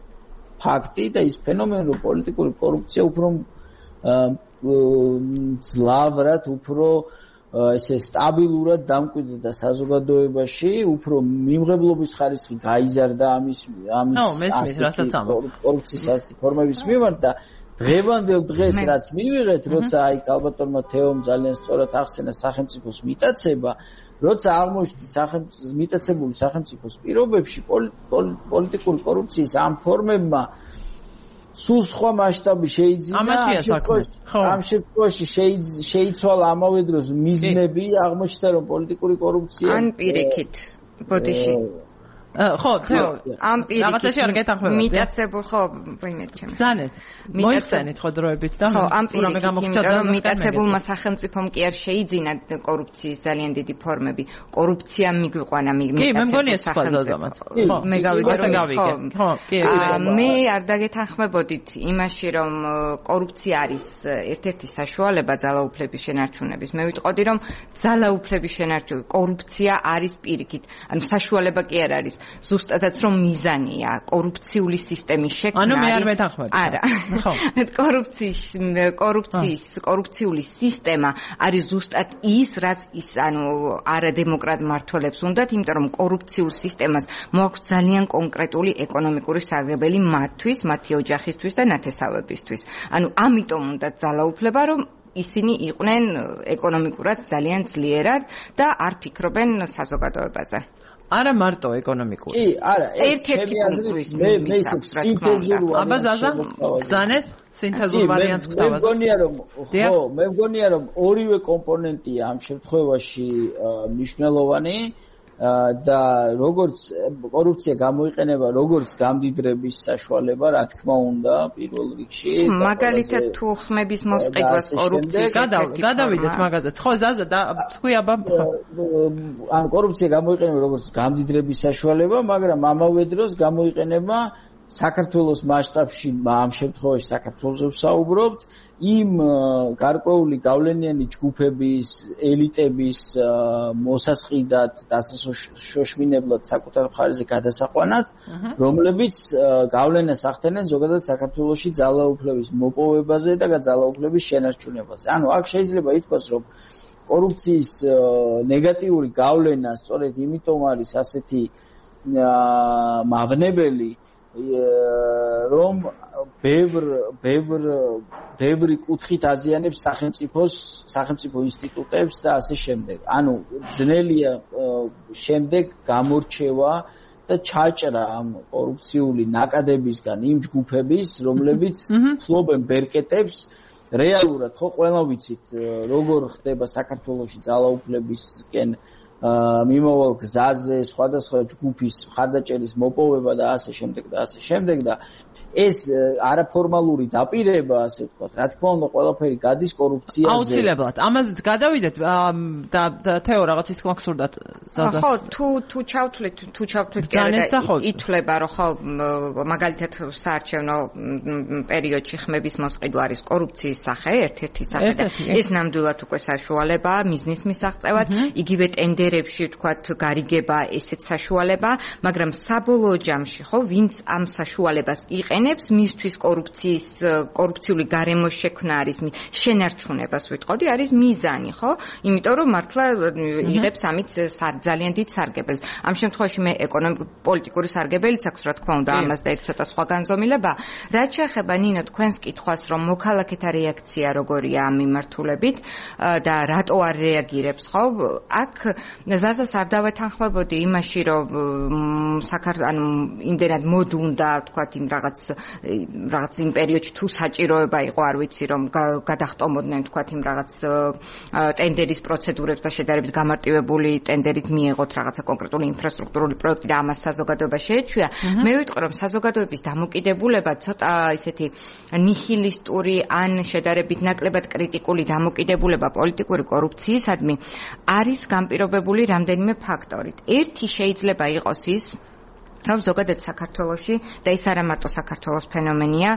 ფაქტი და ის ფენომენი, რომ პოლიტიკური კორუფცია უფრო ძლავრად, უფრო ესე სტაბილურად დამკვიდრდა საზოგადოებაში, უფრო მიმღებლობის ხარისხი გაიზარდა ამის კორუფციის ფორმების მიმართ და დღევანდელ დღეს რაც მივიღეთ, როცა აი კალბატონმა თეომ ძალიან სწორად ახსენა სახელმწიფოს მიტაცება, როცა აღმოჩნდა მიტაცებული სახელმწიფოს პირობებში პოლიტიკური კორუფციის ამ ფორმებმა სულ სხვა მასშტაბი შეიძინა, ამ შემთხვევაში შეიცვალა ამავე დროს მიზნები, აღმოჩნდა რომ პოლიტიკური კორუფცია ან პირიქით ბოდიში ხო, ამ რაღაცაში არ გეთანხმება. მიტაცებულ ხო, ვინმე ჩემი. ზანეთ. მოიხსენით ხო დროებით და რამე გამოგჭდა რომ მიტაცებულმა სახელმწიფომ კი არ შეიძინა კორუფციის ძალიან დიდი ფორმები. კორუფცია მიგვიყვანა მიტაცებულ სახელმწიფოს. მე გავიგე. ხო, კი. მე არ დაგეთანხმებოდით იმაში რომ კორუფცია არის ერთ-ერთი საშუალება ძალაუფლების შენარჩუნების. მე ვიტყოდი რომ ძალაუფლების შენარჩუნება, კორუფცია არის პირიქით. ანუ საშუალება კი არ არის. ზუსტადაც რომ მიზანია კორუფციული სისტემის შექმნა. ანუ მე არ მეთანხმები. არა. ხო. კორუფციული სისტემა არის ზუსტად ის, რაც ის ანუ არადემოკრატ მმართველებს უნდათ, იმიტომ რომ კორუფციულ სისტემას მოაქვს ძალიან კონკრეტული ეკონომიკური სარგებელი მათთვის, მათი ოჯახისთვის და ნათესავებისთვის. ანუ ამიტომ უნდა ძალაუფლება, რომ ისინი იყვნენ ეკონომიკურად ძალიან ძლიერად და არ ფიქრობენ საზოგადოებაზე. არა მარტო ეკონომიკური. კი, არა, ერთ-ერთი პუნქტი მე ისე სინთეზური აბა ზაზა, ზანეთ, სინთეზურ ვარიანტს გვთავაზობთ. მე მგონია რომ ორივე კომპონენტია ამ შემთხვევაში მნიშვნელოვანი და როგორც კორუფცია გამოიყენება როგორც გამდიდრების საშუალება, რა თქმა უნდა, პირველ რიგში. მაგალითად თუ ხმების მოსყიდვას კორუფციის გადავიდეთ მაგაზე. ხო, ზაზა და თქვი აბა. ან კორუფცია გამოიყენება როგორც გამდიდრების საშუალება, მაგრამ ამავე დროს გამოიყენება საქართველოს მასშტაბში, ამ შემთხვევაში საქართველოს ვსაუბრობთ, იმ გარკვეული გავლენიანი ჯგუფების, ელიტების მოსასყიდად, დასაშოშმინებლად საკუთარ მხარეზე გადასაყვანად, რომლებიც გავლენას ახდენენ ზოგადად საქართველოში ძალაუფლების მოპოვებაზე და ძალაუფლების შენარჩუნებაზე. ანუ აქ შეიძლება ითქვას, რომ კორუფციის ნეგატიური გავლენა სწორედ იმიტომ არის ასეთი მავნებელი, რომ ბევრი კუთხით აზიანებს სახელმწიფო ინსტიტუტებს და ასე შემდეგ. ანუ ძნელია შემდეგ გამორჩევა და ჩაჭრა ამ კორუფციული ნაკადებისგან იმ ჯგუფების, რომლებიც ფლობენ ბერკეტებს რეალურად ხო ყველა ვიცით როგორ ხდება საქართველოში ძალაუფლებისკენ მიმავალ გზაზე სხვადასხვა ჯგუფის მხარდაჭერის მოპოვება და ასე შემდეგ და ეს არაფორმალური დაპირება, ასე ვთქვათ, რა თქმა უნდა, ყველაფერი გადის კორუფციაზე. აუცილებლად. ამაზეც გადავიდეთ და თეო რაღაც ის გვახსურდათ. ხო, თუ ჩავთვლით ითვლება, რომ ხო, მაგალითად საარჩევნო პერიოდში ხმების მოსყიდვა არის კორუფციის სახე, ერთ-ერთი სახე და ეს ნამდვილად უკვე საშუალებაა მიზნის მისაღწევად, იგივე ტენდერებში ვთქვათ, გარიგება ესეც საშუალებაა, მაგრამ საბოლოო ჯამში ხო, ვინც ამ საშუალებას იყენებს მისთვის კორუფციული გარემოს შექმნა არის შენარჩუნებას ვიტყოდი არის მიზანი ხო იმიტომ რომ მართლა იღებს ამით ძალიან დიდ სარგებელს ამ შემთხვევაში მე ეკონომიკურ-პოლიტიკური სარგებელიც აქვს რა თქმა უნდა ამას და ცოტა სხვა განზომილება რაც შეეხება ნინო თქვენს კითხვას რომ მოქალაქეთა რეაქცია როგორია ამ მიმართულებით და რატო არ რეაგირებს ხო აქ ზაზას არ დავეთანხმებოდი იმაში რომ ანუ იმდენად მოდუნდა თქვათ იმ რაღაც იმ პერიოდში თუ საჭიროება იყო არ ვიცი რომ გადახტომოდნენ თქვათ იმ რაღაც ტენდერის პროცედურებს და შედარებით გამარტივებული ტენდერით მიეღოთ რაღაცა კონკრეტული ინფრასტრუქტურული პროექტი და ამას საზოგადოება შეეჩვია მე ვიტყვი რომ საზოგადოების დამოკიდებულება ცოტა ისეთი ნიჰილისტური ან შედარებით ნაკლებად კრიტიკული დამოკიდებულება პოლიტიკური კორუფციისადმი არის განპირობებული რამდენიმე ფაქტორით ერთი შეიძლება იყოს ის რომ ზოგადად საქართველოში და ის არა მარტო საქართველოს ფენომენია,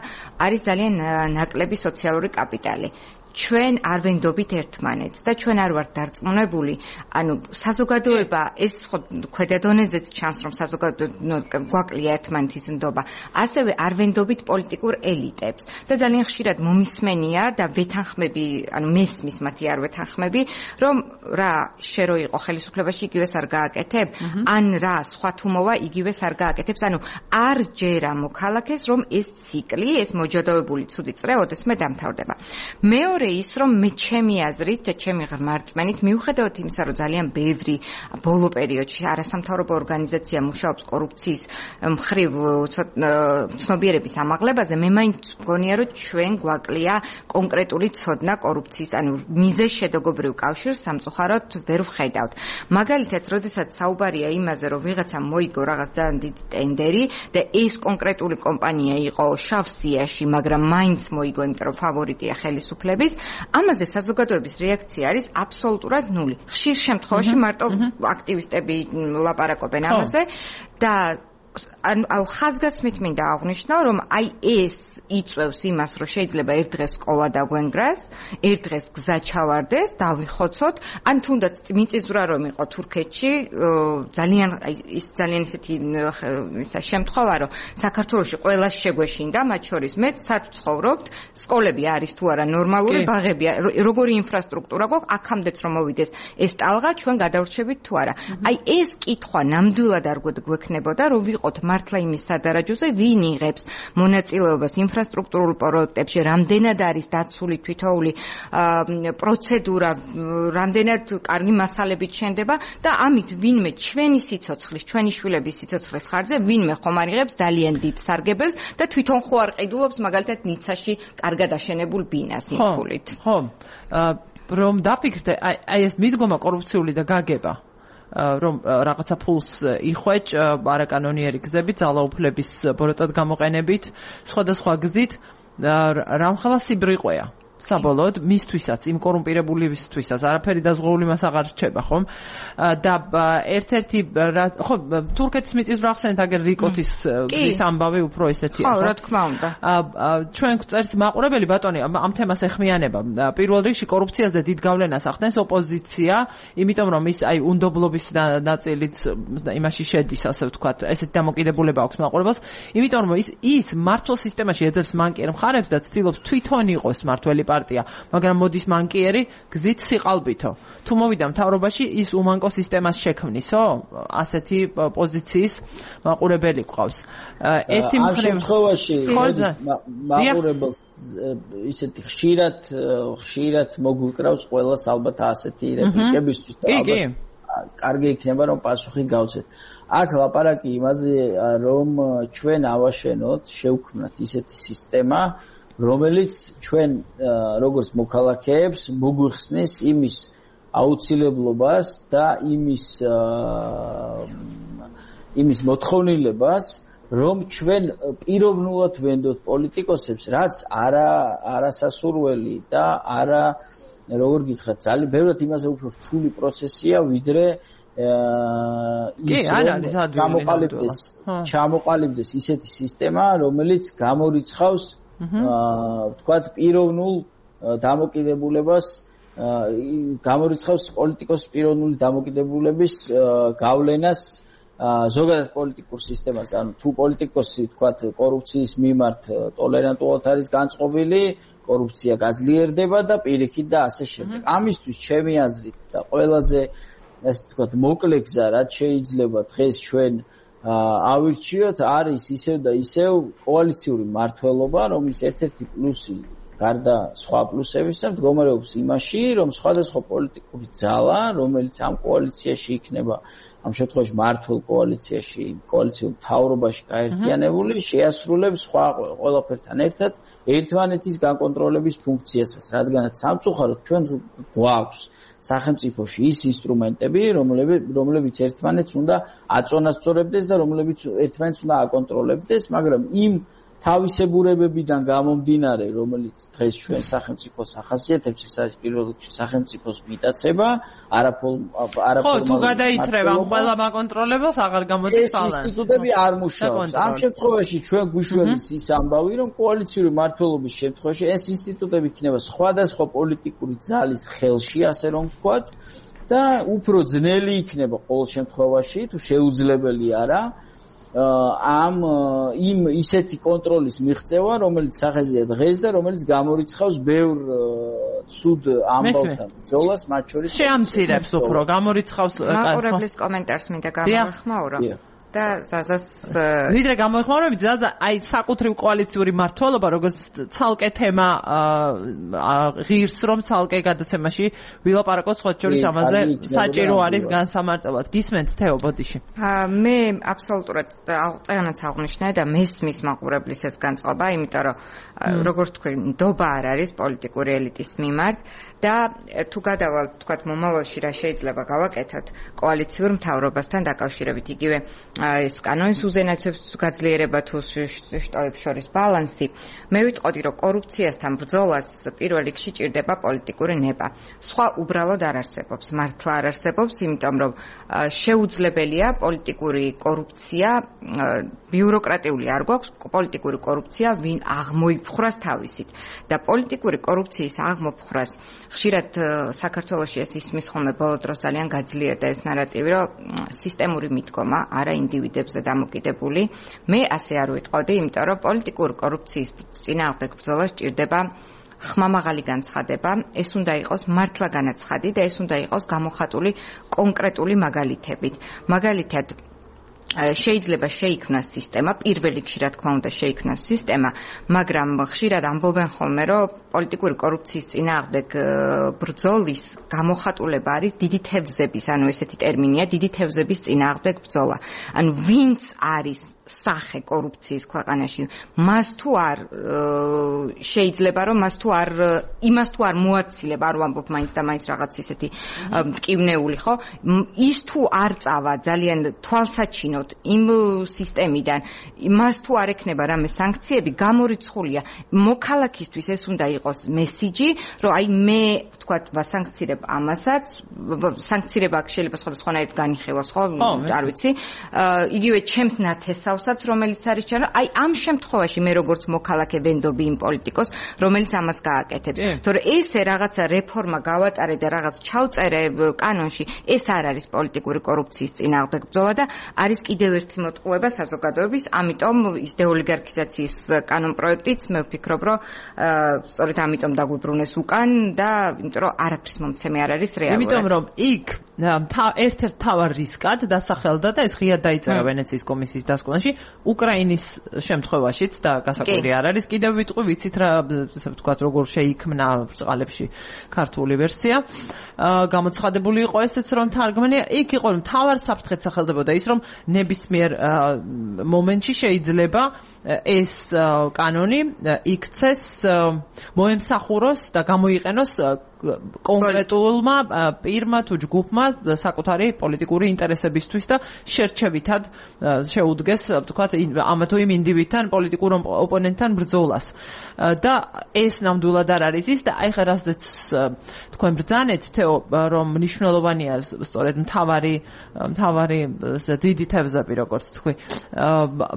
არის ძალიან ნაკლები სოციალური კაპიტალი. ჩვენ არ ვენდობით ერთმანეთს და ჩვენ არ ვართ დარწმუნებული, ანუ საზოგადოება ეს ხო ქვედა დონეზეც ჩანს რომ საზოგადოება გვაკლია ერთმანეთის ნდობა, ასევე არ ვენდობით პოლიტიკურ ელიტებს და ძალიან ხშირად მომისმენია და ვეთანხმები, ანუ მესმის მათი არ ვეთანხმები, რომ რა შე რო იყო ხელისუფლებაში იგივეს არ გააკეთებ, ან რა სხვა თუ მოვა იგივეს არ გააკეთებს, ანუ არ ჯერა მოქალაქეს რომ ეს ციკლი, ეს მოჯადოებული ცუდი წრე ოდესმე დამთავრდება. მეორე ის რომ მე ჩემი აზრით და ჩემი ღმერთმენით მიუხედავად იმისა რომ ძალიან ბევრი ბოლო პერიოდში არასამთავრობო ორგანიზაცია მუშაობს კორუფციის მხრივ ცნობიერების ამაღლებაზე მე მაინც მგონია რომ ჩვენ გვაკლია კონკრეტული ცოდნა კორუფციის ანუ მიზეს შედაგობრივ კავშირს სამწუხაროდ ვერ ვხედავთ მაგალითად როდესაც საუბარია იმაზე რომ ვიღაცამ მოიგო რაღაც ძალიან დიდი ტენდერი და ეს კონკრეტული კომპანია იყო შავსიაში მაგრამ მაინც მოიგო იმიტომ რომ ფავორიტია ხელისუფლების ამაზე საზოგადოების რეაქცია არის აბსოლუტურად ნული. ხშირ შემთხვევაში მარტო აქტივისტები ლაპარაკობენ ამაზე და ანუ ხაზგასმით მინდა აღვნიშნო, რომ აი ეს იწევს იმას, რომ შეიძლება ერთ დღეს სკოლა დაგვენგრას, ერთ დღეს გზა ჩავარდეს, დავიხოცოთ, ან თუნდაც მიწისძვრა რომ იყო თურქეთში, ძალიან ისეთი შემთხვევა, რომ საქართველოში ყველას შეგვეშინდა, მათ შორის მეც სად ვცხოვრობთ, სკოლები არის თუ არა ნორმალური, ბაღები, როგორი ინფრასტრუქტურა გვაქვს, აქამდეც რომ მოვიდეს ეს ტალღა, ჩვენ გადავრჩებით თუ არა. აი ეს კითხვა ნამდვილად არ გვექნებოდა, რომ ვიყოთ მართლა იმის სადარაჯოზე, ვინ იღებს მონაწილეობას ინფრასტრუქტურულ პროექტებში, რამდენად არის დაცული თვითოული პროცედურა, რამდენად კარგი მასალებით შენდება და ამით ვინმე ჩვენი სიცოცხლის, ჩვენი შვილების სიცოცხლის ხარჯზე ვინმე ხომ არ იღებს ძალიან დიდ სარგებელს და თვითონ ხო არ ყიდულობს მაგალითად ნიცაში კარგად აშენებულ ბინას იმ ფულით. ხო, რომ დაფიქრდე, აი ეს მიდგომა კორუფციული და გაგება რომ რაღაცა ფულს იხვეჭ არაკანონიერი გზებით, ძალაუფლების ბოროტად გამოყენებით, სხვადასხვა გზით, რამხელა სიბრიყვეა. საბოლოოდ მისთვისაც, იმ კორუმპირებულისთვისაც არაფერი დაზღვეული მას აღარ რჩება, ხომ? და ერთ-ერთი ხო, თურქეთის მიწისძვრა ახსენეთ, აგერ რიკოთის გზის ამბავი უფრო ესეთია, ხო? რა თქმა უნდა. ჩვენ წერს მაყურებელი ბატონი ამ თემას ეხმიანება. პირველ რიგში კორუფციაზე დიდ გავლენას ახდენს ოპოზიცია, იმიტომ რომ ის აი უნდობლობის ნაწილიც იმაში შედის, ასე ვთქვათ, ესეთი დამოკიდებულება აქვს მაყურებელს, იმიტომ რომ ის მართლ სისტემაში ეძებს მანკიერ მხარებს და ცდილობს თვითონ იყოს მართველი პარტია, მაგრამ მოდის მანკიერი გზით სიყალბითო. თუ მოვიდა მთავრობაში, ის უმანკო სისტემას შექმნისო? ასეთი პოზიციის მაყურებელი გვყავს. ერთი ამ შემთხვევაში მაყურებელს ისეთი ხშირად მოგვიკრავს ყველას ალბათ ასეთი რეპლიკებისთვის და კარგი იქნება რომ პასუხი გავცეთ. აქ ლაპარაკი იმაზე რომ ჩვენ ავაშენოთ, შევქმნათ ისეთი სისტემა, რომელიც ჩვენ როგორც მოქალაქეებს მოგვიხსნის იმის აუცილებლობას და იმის მოთხოვნილებას, რომ ჩვენ პიროვნულად ვენდოთ პოლიტიკოსებს, რაც არასასურველი და არა როგორ გითხრათ, ძალიან ბევრად იმაზე უფრო რთული პროცესია, ვიდრე ჩამოყალიბდეს ისეთი სისტემა, რომელიც გამორიცხავს ვთქვათ პიროვნულ დამოკიდებულებას, გამორიცხავს პოლიტიკოს პიროვნული დამოკიდებულების გავლენას ზოგადად პოლიტიკურ სისტემას, ანუ თუ პოლიტიკოსი ვთქვათ კორუფციის მიმართ ტოლერანტულად არის განწყობილი, კორუფცია გაძლიერდება და პირიქით და ასე შემდეგ. ამისთვის ჩემი აზრით და ყველაზე ასე ვთქვათ მოკლე გზა, რაც შეიძლება დღეს ჩვენ ავირჩიოთ, არის ისევ და ისევ კოალიციური მმართველობა, რომლის ერთ-ერთი პლუსი გარდა სხვა პლუსებისა მდგომარეობს იმაში, რომ სხვადასხვა პოლიტიკური ძალა, რომელიც ამ კოალიციაში იქნება, ამ შემთხვევაში მმართველ კოალიციაში, კოალიციურ მთავრობაში გაერთიანებული, შეასრულებს სხვა ყველაფერთან ერთად ერთმანეთის გაკონტროლების ფუნქციასაც, რადგანაც სამწუხაროდ ჩვენ გვაქვს სახელმწიფოში ის ინსტრუმენტები, რომლებიც ერთმანეთს უნდა აწონასწორებდეს და რომლებიც ერთმანეთს უნდა აკონტროლებდეს, მაგრამ იმ თავისებურებებიდან გამომდინარე, რომელიც დღეს ჩვენ სახელმწიფოს ახასიათებს, ეს არის პირველ რიგში სახელმწიფოს მიტაცება, ხო, თუ გადაითრება ყველა მაკონტროლებას, აღარ გამოდის ბალანსი. ეს ინსტიტუტები არ მუშაობს. ამ შემთხვევაში ჩვენ გვიშველის ის ამბავი, რომ კოალიციური მმართველობის შემთხვევაში ეს ინსტიტუტები იქნება სხვადასხვა პოლიტიკური ძალის ხელში, ასე რომ ვთქვათ, და უფრო ძნელი იქნება ყოველ შემთხვევაში, თუ შეუძლებელი არა. იმ ისეთი კონტროლის მიღწევა, რომელიც სახეზეა დღეს და რომელიც გამორიცხავს ბევრ ცუდ ამბავთან ბრძოლას, მათ შორის შეამცირებს უფრო, გამორიცხავს მაყურებლის კომენტარს მინდა გამოვეხმაურო. და ზაზას ვიდრე გამოეხმაურებით, ზაზა აი საკუთრივ კოალიციური მმართველობა, როგორც ცალკე თემა ღირს, რომ ცალკე გადაცემაში ვილაპარაკოთ სხვა შორის ამაზე საჭირო არის განსამარტებად. გისმენთ თეო ბოდიში. მე აბსოლუტურად წეგანაც აღნიშნე და მესმის მაყურებლის ეს განწყობა, იმიტომ რომ როგორც თქვენ, ნდობა არ არის პოლიტიკური ელიტის მიმართ და თუ გადავალთ, თქვათ, მომავალში რა შეიძლება გავაკეთოთ კოალიციურ მთავრობასთან დაკავშირებით, იგივე ეს კანონის უზენაესობების გაძლიერება თუ შტოებს შორის ბალანსი, მე ვიტყოდი, რომ კორუფციასთან ბრძოლას პირველ რიგში ჭირდება პოლიტიკური ნება. სხვა უბრალოდ არ არსებობს, მართლა არ არსებობს, იმიტომ რომ შეუძლებელია პოლიტიკური კორუფცია, ბიუროკრატიული არ გვაქვს, პოლიტიკური კორუფცია ვინ აღმოიფხვრას თავისით და პოლიტიკური კორუფციის აღმოფხვრას ხშირად საქართველოში ეს ისმის ხოლმე ბოლო დროს ძალიან გაძლიერდა ეს ნარატივი, რომ სისტემური მიდგომა არა ინდივიდებზე დამოკიდებული. მე ასე არ ვიტყოდი, იმიტომ რომ პოლიტიკური კორუფციის წინააღმდეგ ბრძოლა სჭირდება ხმამაღალი განცხადება, ეს უნდა იყოს მართლა განაცხადი და ეს უნდა იყოს გამოხატული კონკრეტული მაგალითებით. მაგალითად შეიძლება შეიქმნას სისტემა, პირველ რიგში რა თქმა უნდა შეიქმნას სისტემა, მაგრამ ხშირად ამბობენ ხოლმე, რომ პოლიტიკური კორუფციის წინააღმდეგ ბრძოლის გამოხატულება არის დიდი თევზების, ანუ ესეთი ტერმინია, დიდი თევზების წინააღმდეგ ბრძოლა. ანუ ვინც არის სახე კორუფციის ქვეყანაში, მას თუ არ შეიძლება რომ იმას თუ არ მოაცილება, არ ვამბობ მაინც და მაინც რაღაც ისეთი მტკივნეული, ხო? ის თუ არ წავა ძალიან თვალსაჩინოდ იმ სისტემიდან, მას თუ არ ექნება რამე სანქციები, გამორიცხულია მოქალაქისთვის ეს უნდა იყოს მესიჯი, რომ აი მე ვთქვათ ვასანქცირებ ამასაც, სანქცირება შეიძლება სხვადასხვანაირად განიხილოს, ხო? არ ვიცი. იგივე ჩემს ნათესავსაც, რომელიც არის ჩანა, აი ამ შემთხვევაში მე როგორც მოქალაქე ვენდობი იმ პოლიტიკოს, რომელიც ამას გააკეთებს. თორე ესე რაღაცა რეფორმა გავატარე და რაღაც ჩავწერე კანონში, ეს არ არის პოლიტიკური კორუფციის წინააღმდეგ ბრძოლა და არის კიდევ ერთი მოტყუება საზოგადოების, ამიტომ ის დეოლიგარქიზაციის კანონ პროექტიც მე ვფიქრობ, რომ სწორედ ამიტომ დაგვიბრუნეს უკან და იმიტომ რომ არაფრის მომცემი არ არის რეალურად. იმიტომ რომ იქ ერთ-ერთ თავარ რისკად დასახელდა და ეს ღიად დაიწერა ვენეციის კომისიის დასკვნაში უკრაინის შემთხვევაშიც და გასაკვირი არ არის კიდევ ვიტყვი ვიცით რა ასე ვთქვათ როგორ შეიქმნა ბრწყალებში ქართული ვერსია გამოცხადებული იყო ესეც რომ თარგმანი იქ იყო რომ თავარ საფრთხეთ სახელდებოდა ის რომ ნებისმიერ მომენტში შეიძლება ეს კანონი იქცეს მოემსახუროს და გამოიყენოს კონკრეტულმა პირმა თუ ჯგუფმა საკუთარი პოლიტიკური ინტერესებისთვის და შერჩევითად შეუდგეს ვთქვათ ამა თუ იმ ინდივიდთან პოლიტიკურ ოპონენტთან ბრძოლას და ეს ნამდვილად არ არის ის და აი ხა რასაც თქვენ ბრძანეთ თეო რომ მნიშვნელოვანია სწორედ მთავარი დიდი თევზები როგორც თქვი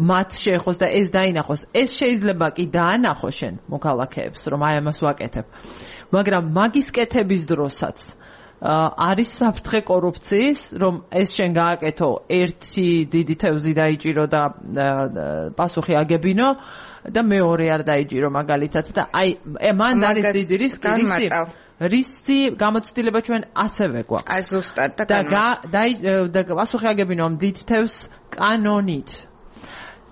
მათ შეეხოს და ეს დაინახოს ეს შეიძლება კი დაანახო შენ მოქალაქეებს რომ აი ამას ვაკეთებ მაგრამ მაგის კეთების დროსაც არის საფრთხე კორუფციის რომ ეს შენ გააკეთო ერთი დიდი თევზი დაიჭირო და პასუხი აგებინო და მეორე არ დაიჭირო მაგალითად და აი მან არის დიდი რისკი გამოცდილება ჩვენ ასევე გვაქვს აი ზუსტად და პასუხი აგებინო დიდ თევზს კანონით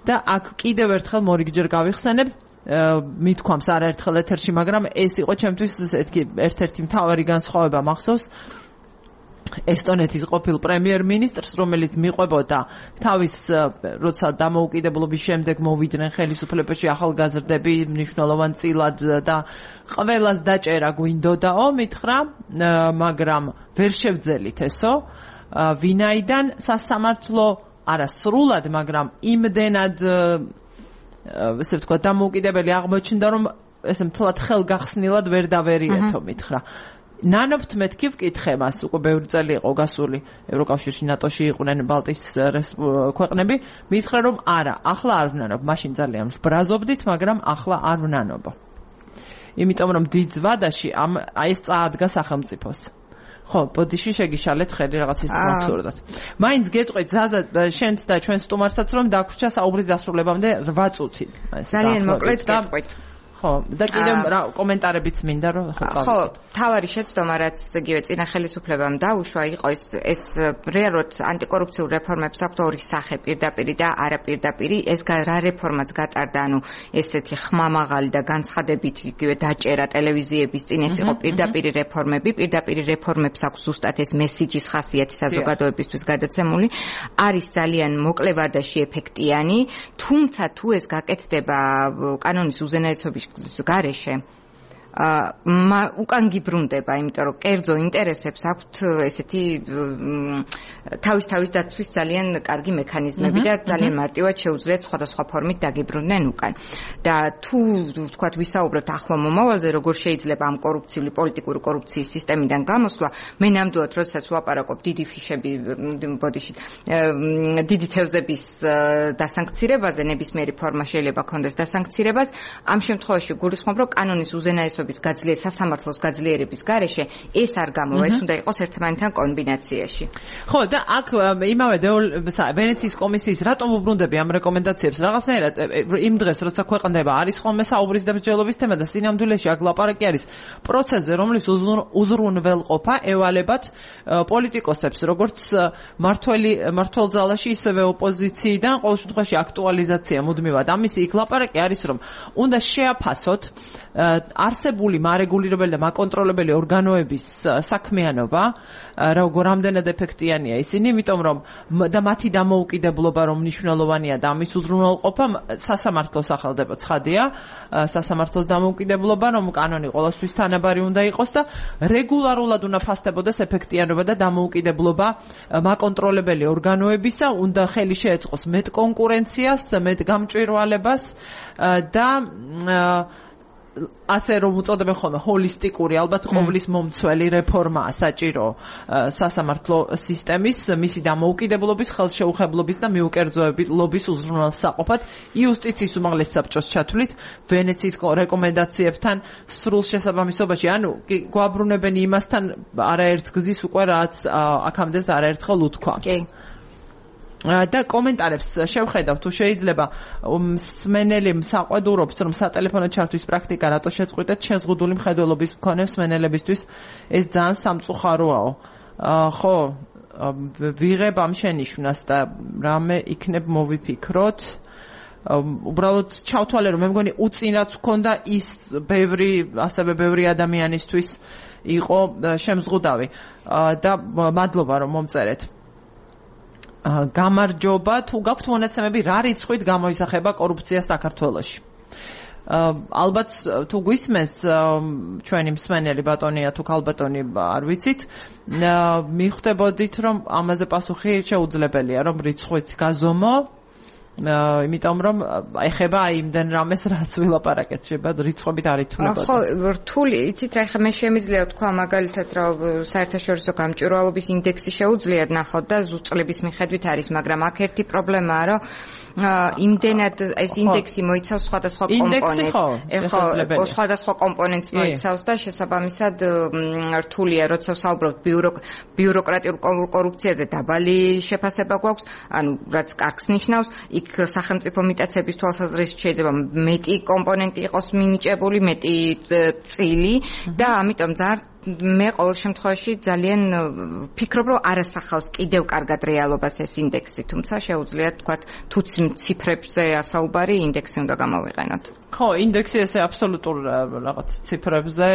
და აქ კიდევ ერთხელ მორიგჯერ გავიხსენებ მithქვამს არაერთხელ ეთერში, მაგრამ ეს იყო ჩემთვის ერთ-ერთი მთავარი განსხვავება მახსოვს ესტონეთის ყოფილ პრემიერ-მინისტრს, რომელიც მიყვებოდა თავის როცა დამოუკიდებლობის შემდეგ მოვიდნენ ხელისუფლებაში ახალგაზრდები მნიშვნელოვან წილად და ყველას დაჭერა გვინდოდაო, მითხრა, მაგრამ ვერ შევძელით ესო, ვინაიდან სასამართლო არა სრულად, მაგრამ იმდენად ესე ვთქვა დამოუკიდებელი აღმოჩნდა რომ ესე მთლად ხელგახსნილად ვერ დავერიეთო მითხრა ნანობთ მეთქი ვკითხე მას უკვე ბევრი წელი იყო გასული ევროკავშირში ნატოში იყვნენ ბალტიის ქვეყნები მითხრა რომ არა ახლა არ ვნანობ მაშინ ძალიან ვბრაზობდით მაგრამ ახლა არ ვნანობ იმიტომ რომ დიდ ზვადაში აი ეს წაადგა სახელმწიფოს ხო, ბოდიში შეგიშალეთ ხელი რაღაც ის აბსურდად. მაინც გეტყვით ზაზა შენც და ჩვენ სტუმარსაც რომ დაგვრჩა საუბრის დასრულებამდე 8 წუთი. ძალიან მოკლედ გეტყვით. ხო, და კიდევ კომენტარებიც მინდა რომ ხო, თავარი შეცდომა რაც იგივე წინა ხელისუფლებამ დაუშვა იყო ეს რეალურად ანტიკორუფციულ რეფორმებს აქვს ორი სახე პირდაპირი და არაპირდაპირი ეს რა რეფორმაც გატარდა ანუ ესეთი ხმამაღალი და განცხადებით იგივე დაჭერა ტელევიზიების წინ ეს იყო პირდაპირი რეფორმებს აქვს ზუსტად ეს მესიჯის ხასიათი საზოგადოებისთვის გადაცემული არის ძალიან მოკლევადაში ეფექტიანი თუმცა თუ ეს გაკეთდება კანონის უზენაესობის გარეშე უკან გიბრუნდება, იმიტომ რომ კერძო ინტერესებს აქვთ ესეთი თავის დაცვის ძალიან კარგი მექანიზმები და ძალიან მარტივად შეუძლიათ სხვადასხვა ფორმით დაგიბრუნდნენ უკან. და თუ ვთქვათ ვისაუბრებთ ახლო მომავალზე, როგორ შეიძლება ამ კორუფციული პოლიტიკური კორუფციის სისტემიდან გამოსვლა, მე ნამდვილად როდესაც ვაპარაკობ დიდი ფიშები, ბოდიში, დიდი თევზების დასანქცირებაზე, ნებისმიერი ფორმა შეიძლება ქონდეს დასანქცირებას, ამ შემთხვევაში გულისხმობ, რომ კანონის უზენაესობის სასამართლოს გაძლიერების გარეშე ეს არ გამოვა, ეს უნდა იყოს ერთმანეთთან კომბინაციაში. ხო, და აქ იმავე ვენეციის კომისიის რატომ უბრუნდები ამ რეკომენდაციებს რაღაცნაირად იმ დღეს როცა ქვეყნდება არის ხოლმე საუბრის და მსჯელობის თემა და სინამდვილეში აქ ლაპარაკი არის პროცესზე, რომლის უზრუნველყოფა ევალებათ პოლიტიკოსებს, როგორც მართველ ძალაში, ისევე ოპოზიციიდან, ყოველ შემთხვევაში აქტუალიზაცია მუდმივად. ამის იქ ლაპარაკი არის, რომ უნდა შეაფასოთ არსებული მარეგულირებელი და მაკონტროლებელი ორგანოების საქმიანობა, რამდენად ეფექტიანია ისინი, იმიტომ რომ და მათი დამოუკიდებლობა რომ მნიშვნელოვანია და ამის უზრუნველყოფა სასამართლოს სახელდება ცხადია, სასამართლოს დამოუკიდებლობა, რომ კანონი ყოველთვის თანაბარი უნდა იყოს და რეგულარულად უნდა ფასდებოდეს ეფექტიანობა და დამოუკიდებლობა მაკონტროლებელი ორგანოებისა, უნდა ხელი შეეწყოს მეტ კონკურენციას, მეტ გამჭვირვალებას და ასე რომ უწოდებენ ხოლმე ჰოლისტიკური, ალბათ ყოვლის მომცველი რეფორმაა საჭირო სასამართლო სისტემის, მისი დამოუკიდებლობის, ხელშეუხებლობის და მიუკერძოებების უზრუნველსაყოფად იუსტიციის უმაღლეს საბჭოს ჩათვლით ვენეციის რეკომენდაციებთან სრულ შესაბამისობაში, ანუ გვაბრუნებენ იმასთან არაერთ გზის უკვე რაც აქამდე არაერთხელ უთქვა. კი. და კომენტარებს შევხედავ თუ შეიძლება მსმენელი მსაყვედურობს რომ სატელეფონო ჩართვის პრაქტიკა რატო შეწყვიტეთ შეზღუდული მხედველობის მქონე მსმენელებისთვის ეს ძალიან სამწუხაროა ხო ვიღებ ამ შენიშვნას და რამე იქნებ მოვიფიქროთ უბრალოდ ჩავთვალე რომ მე მგონი უწინაც გქონდა ის ასევე ბევრი ადამიანისთვის იყო შემზღუდავი და მადლობა რომ მომწერეთ გამარჯობა თუ გაქვთ მონაცემები რა რიცხვით გამოისახება კორუფცია საქართველოში ალბათ თუ გვისმენს ჩვენი მსმენელი ბატონია თუ ქალბატონი არ ვიცით მიხვდებოდით რომ ამაზე პასუხი შეუძლებელია რომ რიცხვით გაზომო იმიტომ რომ ეხება იმდენ რამეს რაც ვილაპარაკეთ შეიძლება რიცხვებით არ ითვლებოდა ხო რთული იცით რა ხა მე შემიძლია თქვა მაგალითად რომ საერთაშორისო გამჭვირვალობის ინდექსი შეუძლიათ ნახოთ და ზუსტების მიხედვით არის მაგრამ აქ ერთი პრობლემაა რომ იმდენად ეს ინდექსი მოიცავს სხვადასხვა კომპონენტს ხო სხვადასხვა კომპონენტს მოიცავს და შესაბამისად რთულია როცა საუბრობთ ბიუროკრატიულ კორუფციაზე დაბალი შეფასება გვაქვს ანუ რაც კარგს ნიშნავს იქ სახელმწიფო მიტაცების თვალსაზრისით შეიძლება მეტი კომპონენტი იყოს მინიჭებული მეტი წილი და ამიტომ მე ყოველ შემთხვევაში ძალიან ვფიქრობ რომ არასახავს კიდევ კარგად რეალობას ეს ინდექსი თუმცა შეუძლია თქვა თუ ციფრებზე ასაუბარი ინდექსი უნდა გამოვიყენოთ ხო ინდექსი ესე აბსოლუტურ რაღაც ციფრებზე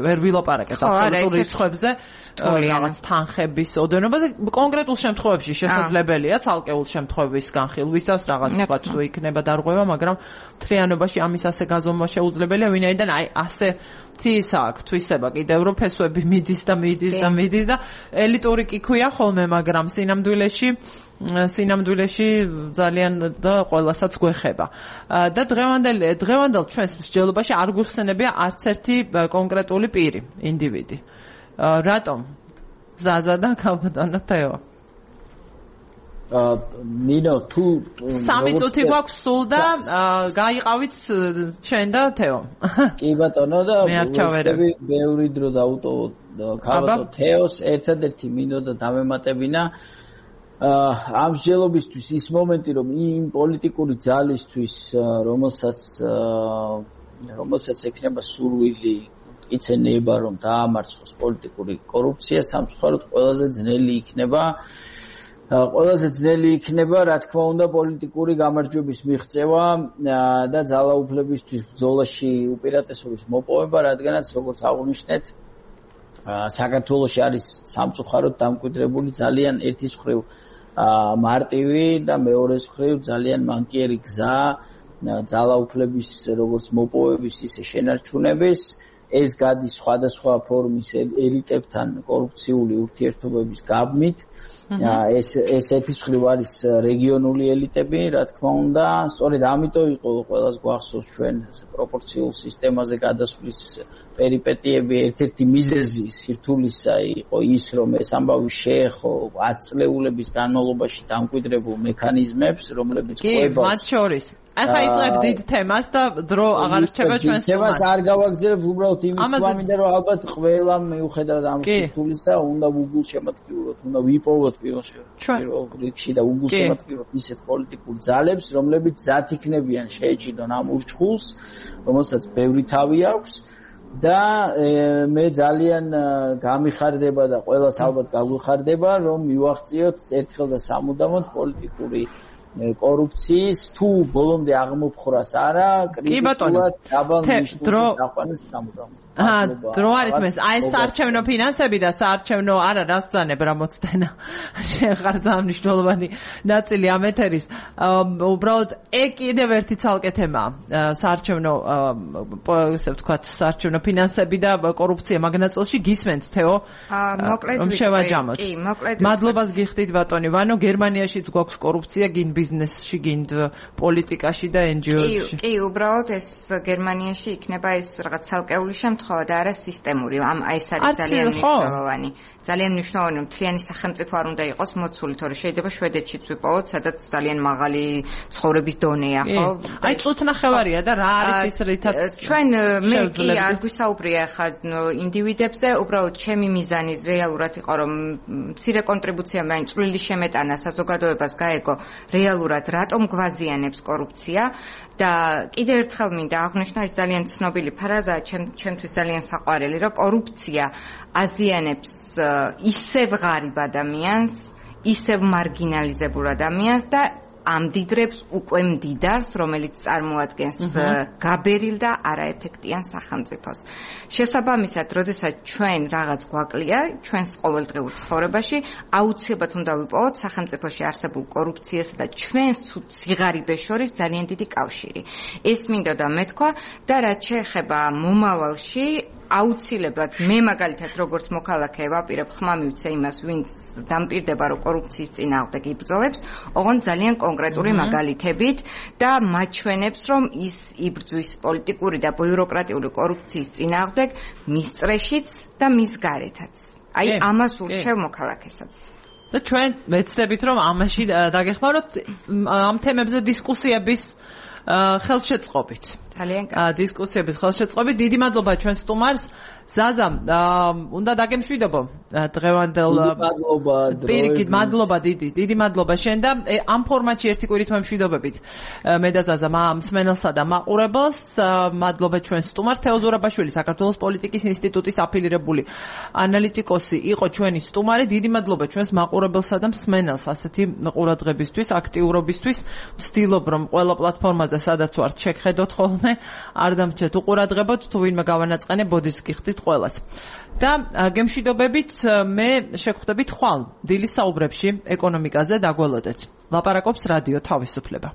ვერ ვილაპარაკეთ აბსოლუტურ რიცხვებზე რაღაც თანხების ოდენობაზე კონკრეტულ შემთხვევებში შესაძლებელია ცალკეულ შემთხვევების განხილვისას რაღაც თქვა თუ იქნება დარღვევა მაგრამ მთლიანობაში ამის ასე გაზომვა შეუძლებელია ვინაიდან აი ასე ცისა აქვს თვისება კიდევ რომ ფესვები მიდის და ელიტური კი ქვია ხოლმე მაგრამ სინამდვილეში ძალიან და ყველასაც გვეხება და დღევანდელ ჩვენს მსჯელობაში არ გვიხსენებია არც ერთი კონკრეტული პირი ინდივიდი რატომ ზაზა და ქალბატონო თეო ნინო თუ 3 წუთი გვაქვს სულ და გაიყავით ჩვენ და თეო კი ბატონო და ბევრი დრო დაუტოვოთ ქალბატონო თეოს ერთადერთი მინდოდა დამემატებინა ამ მსჯელობისთვის ის მომენტი რომ იმ პოლიტიკური ძალისთვის რომელსაც ექნება სურვილი იცენება რომ დაამარცხოს პოლიტიკური კორუფცია სამწუხაროდ ყველაზე ძნელი იქნება რა თქმა უნდა პოლიტიკური გამარჯვების მიღწევა და ძალაუფლებისთვის ბრძოლაში უპირატესობის მოპოვება რადგანაც როგორც აღნიშნეთ საქართველოში არის სამწუხაროდ დამკვიდრებული ძალიან ერთის მხრივ მარტივი და მეორეს მხრივ ძალიან მანკიერი გზა ძალაუფლების როგორც მოპოვების ისე შენარჩუნების ეს გადის სხვადასხვა ფორმის ელიტებთან კორუფციული ურთიერთობების გაბმით ეს ერთის მხრივ არის რეგიონული ელიტები რა თქმა უნდა სწორედ ამიტომ იყო ყველას გვახსოვს ჩვენ პროპორციულ სისტემაზე გადასვლის პერიპეტიები ერთ-ერთი მიზეზი სირთულისა იყო ის რომ ეს ამბავი შეეხო 10 წლეულების განმავლობაში დამკვიდრებულ მექანიზმებს რომლებიც ყვება კი მათ შორის ახლა იწყებ დიდ თემას და დრო აღარ რჩება ჩვენს თემას არ გავაგზავნებ უბრალოდ იმის თვალმიდან რომ ალბათ ყველამ მიუხედავად ამ სირთულისა უნდა Google შემატკივროთ უნდა ვიპოვოთ პირველ რიგში და Google შემატკივროთ ისეთ პოლიტიკურ ძალებს რომლებიც ზათ იქნებიან შეეჭიდონ ამ ურჩხულს რომელსაც ბევრი თავი აქვს და მე ძალიან გამიხარდება და ყველას ალბათ გაგვიხარდება რომ მივახციოთ ერთხელ და სამუდამოდ პოლიტიკური კორუფციის თუ ბოლომდე აღმოფხრას არა კრიტიკულად დაბალ ნიშნულს დაყვანეს სამუდამოდ დრო არის მეს აი საარჩევნო ფინანსები და საარჩევნო არა რას ბრძანებ რა მოცდენა შეხარ ძალიან მნიშვნელოვანი ნაწილი ამ ეთერის უბრალოდ კიდევ ერთი ცალკე თემაა საარჩევნო ესე ვთქვათ საარჩევნო ფინანსები და კორუფცია მაგნაწილში გისმენთ თეო რომ შევაჯამოთ კი მოკლედ მადლობას გიხდით ბატონი ვანო გერმანიაშიც გვაქვს კორუფცია გინ ბიზნესში გინ პოლიტიკაში და NGO-ში კი უბრალოდ ეს გერმანიაში იქნება ეს რაღაც ცალკეული შემთხვევა და არა სისტემური. ამ ეს არის ძალიან მნიშვნელოვანი. ძალიან მნიშვნელოვანი მთლიანი სახელმწიფო არ უნდა იყოს მოცული, თორე შეიძლება შვედეთშიც ვიპოვოთ, სადაც ძალიან მაღალი ცხოვრების დონეა, ხო? აი წუთნახევარია და რა არის ის რითაც ჩვენ მე კი არ გვისაუბრია ხა ინდივიდებზე, უბრალოდ ჩემი მიზანი რეალურად იყო რომ მცირე კონტრიბუცია მაინც წვლილი შემეტანა საზოგადოებას გაეგო რეალურად რატომ გვაზიანებს კორუფცია და კიდევ ერთხელ მინდა აღვნიშნო ეს ძალიან ცნობილი ფრაზაა ჩემთვის ძალიან საყვარელი რომ კორუფცია აზიანებს ისევ ღარიბ ადამიანს, ისევ მარგინალიზებულ ადამიანს და ამდიდრებს უკვე მდიდარს, რომელიც წარმოადგენს გაბერილ და არაეფექტიან სახელმწიფოს. შესაბამისად, როდესაც ჩვენ რაღაც გვაკლია, ჩვენს ყოველდღიურ ცხოვრებაში, აუცილებლად უნდა ვიპოვოთ სახელმწიფოში არსებულ კორუფციასა და ჩვენს სიღარიბეს შორის ძალიან დიდი კავშირი. ეს მინდოდა მეთქვა და რაც შეეხება მომავალში, აუცილებლად მე მაგალითად როგორც მოქალაქე ვაპირებ ხმა მივცე იმას, ვინც დამპირდება რომ კორუფციის წინააღმდეგ იბრძოლებს, ოღონდ ძალიან კონკრეტული მაგალითებით და მაჩვენებს რომ ის იბრძვის პოლიტიკური და ბიუროკრატიული კორუფციის წინააღმდეგ მის წრეშიც და მის გარეთაც. აი ამას ურჩევ მოქალაქესაც. და ჩვენ ვეცდებით რომ ამაში დაგეხმაროთ ამ თემებზე დისკუსიების ხელშეწყობით. ძალიან კარგი. დისკუსიების ხელშეწყობით. დიდი მადლობა ჩვენ სტუმარს. ზაზა, უნდა დაგემშვიდობო დღევანდელ პირიქით მადლობა დიდი მადლობა შენ და ამ ფორმატში ერთი კვირით მემშვიდობებით. მე და ზაზა მსმენელსა და მაყურებელს მადლობა ჩვენ სტუმარს თეო ზურაბაშვილი საქართველოს პოლიტიკის ინსტიტუტის აფილირებული ანალიტიკოსი იყო ჩვენი სტუმარი. დიდი მადლობა ჩვენს მაყურებელსა და მსმენელს ასეთი ყურადღებისთვის, აქტიურობისთვის. ვცდილობ რომ ყველა პლატფორმაზე სადაც ვართ შეგხედოთ ხოლმე, არ დამრჩეთ უყურადღებოთ, თუ ვინმე გავანაწყენე ბოდიშს გიხდით ყველას. და გემშვიდობებით მე შეგხვდებით ხვალ დილის საუბრებში ეკონომიკაზე დაგველოდეთ. ლაპარაკობს რადიო თავისუფლება.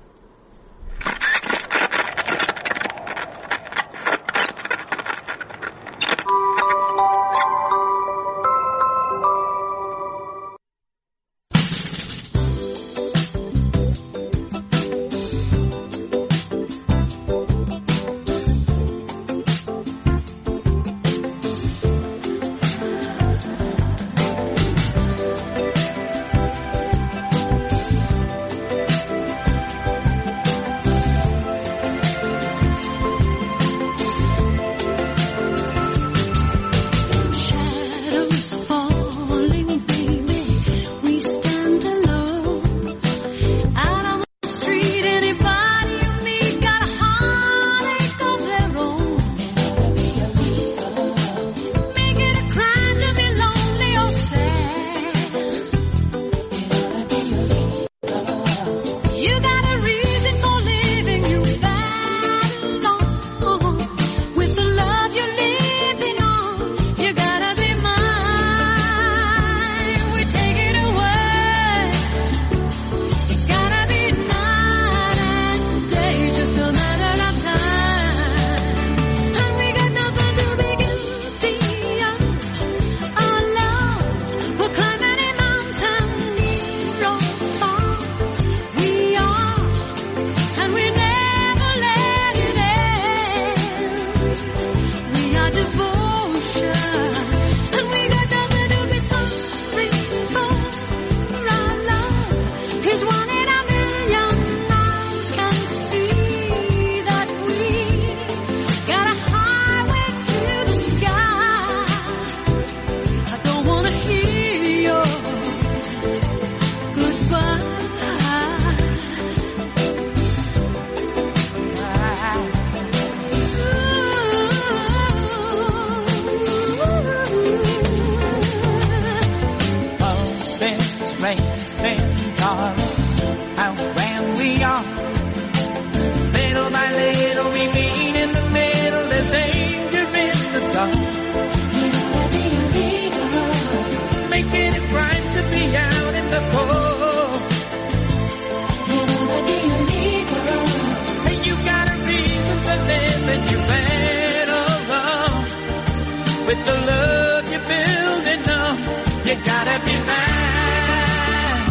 With the love you're building up, you gotta be mine.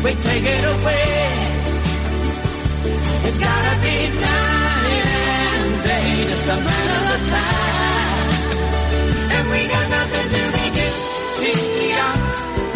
We take it away. It's gotta be night and day, just a matter of time. And we got nothing to be guilty of.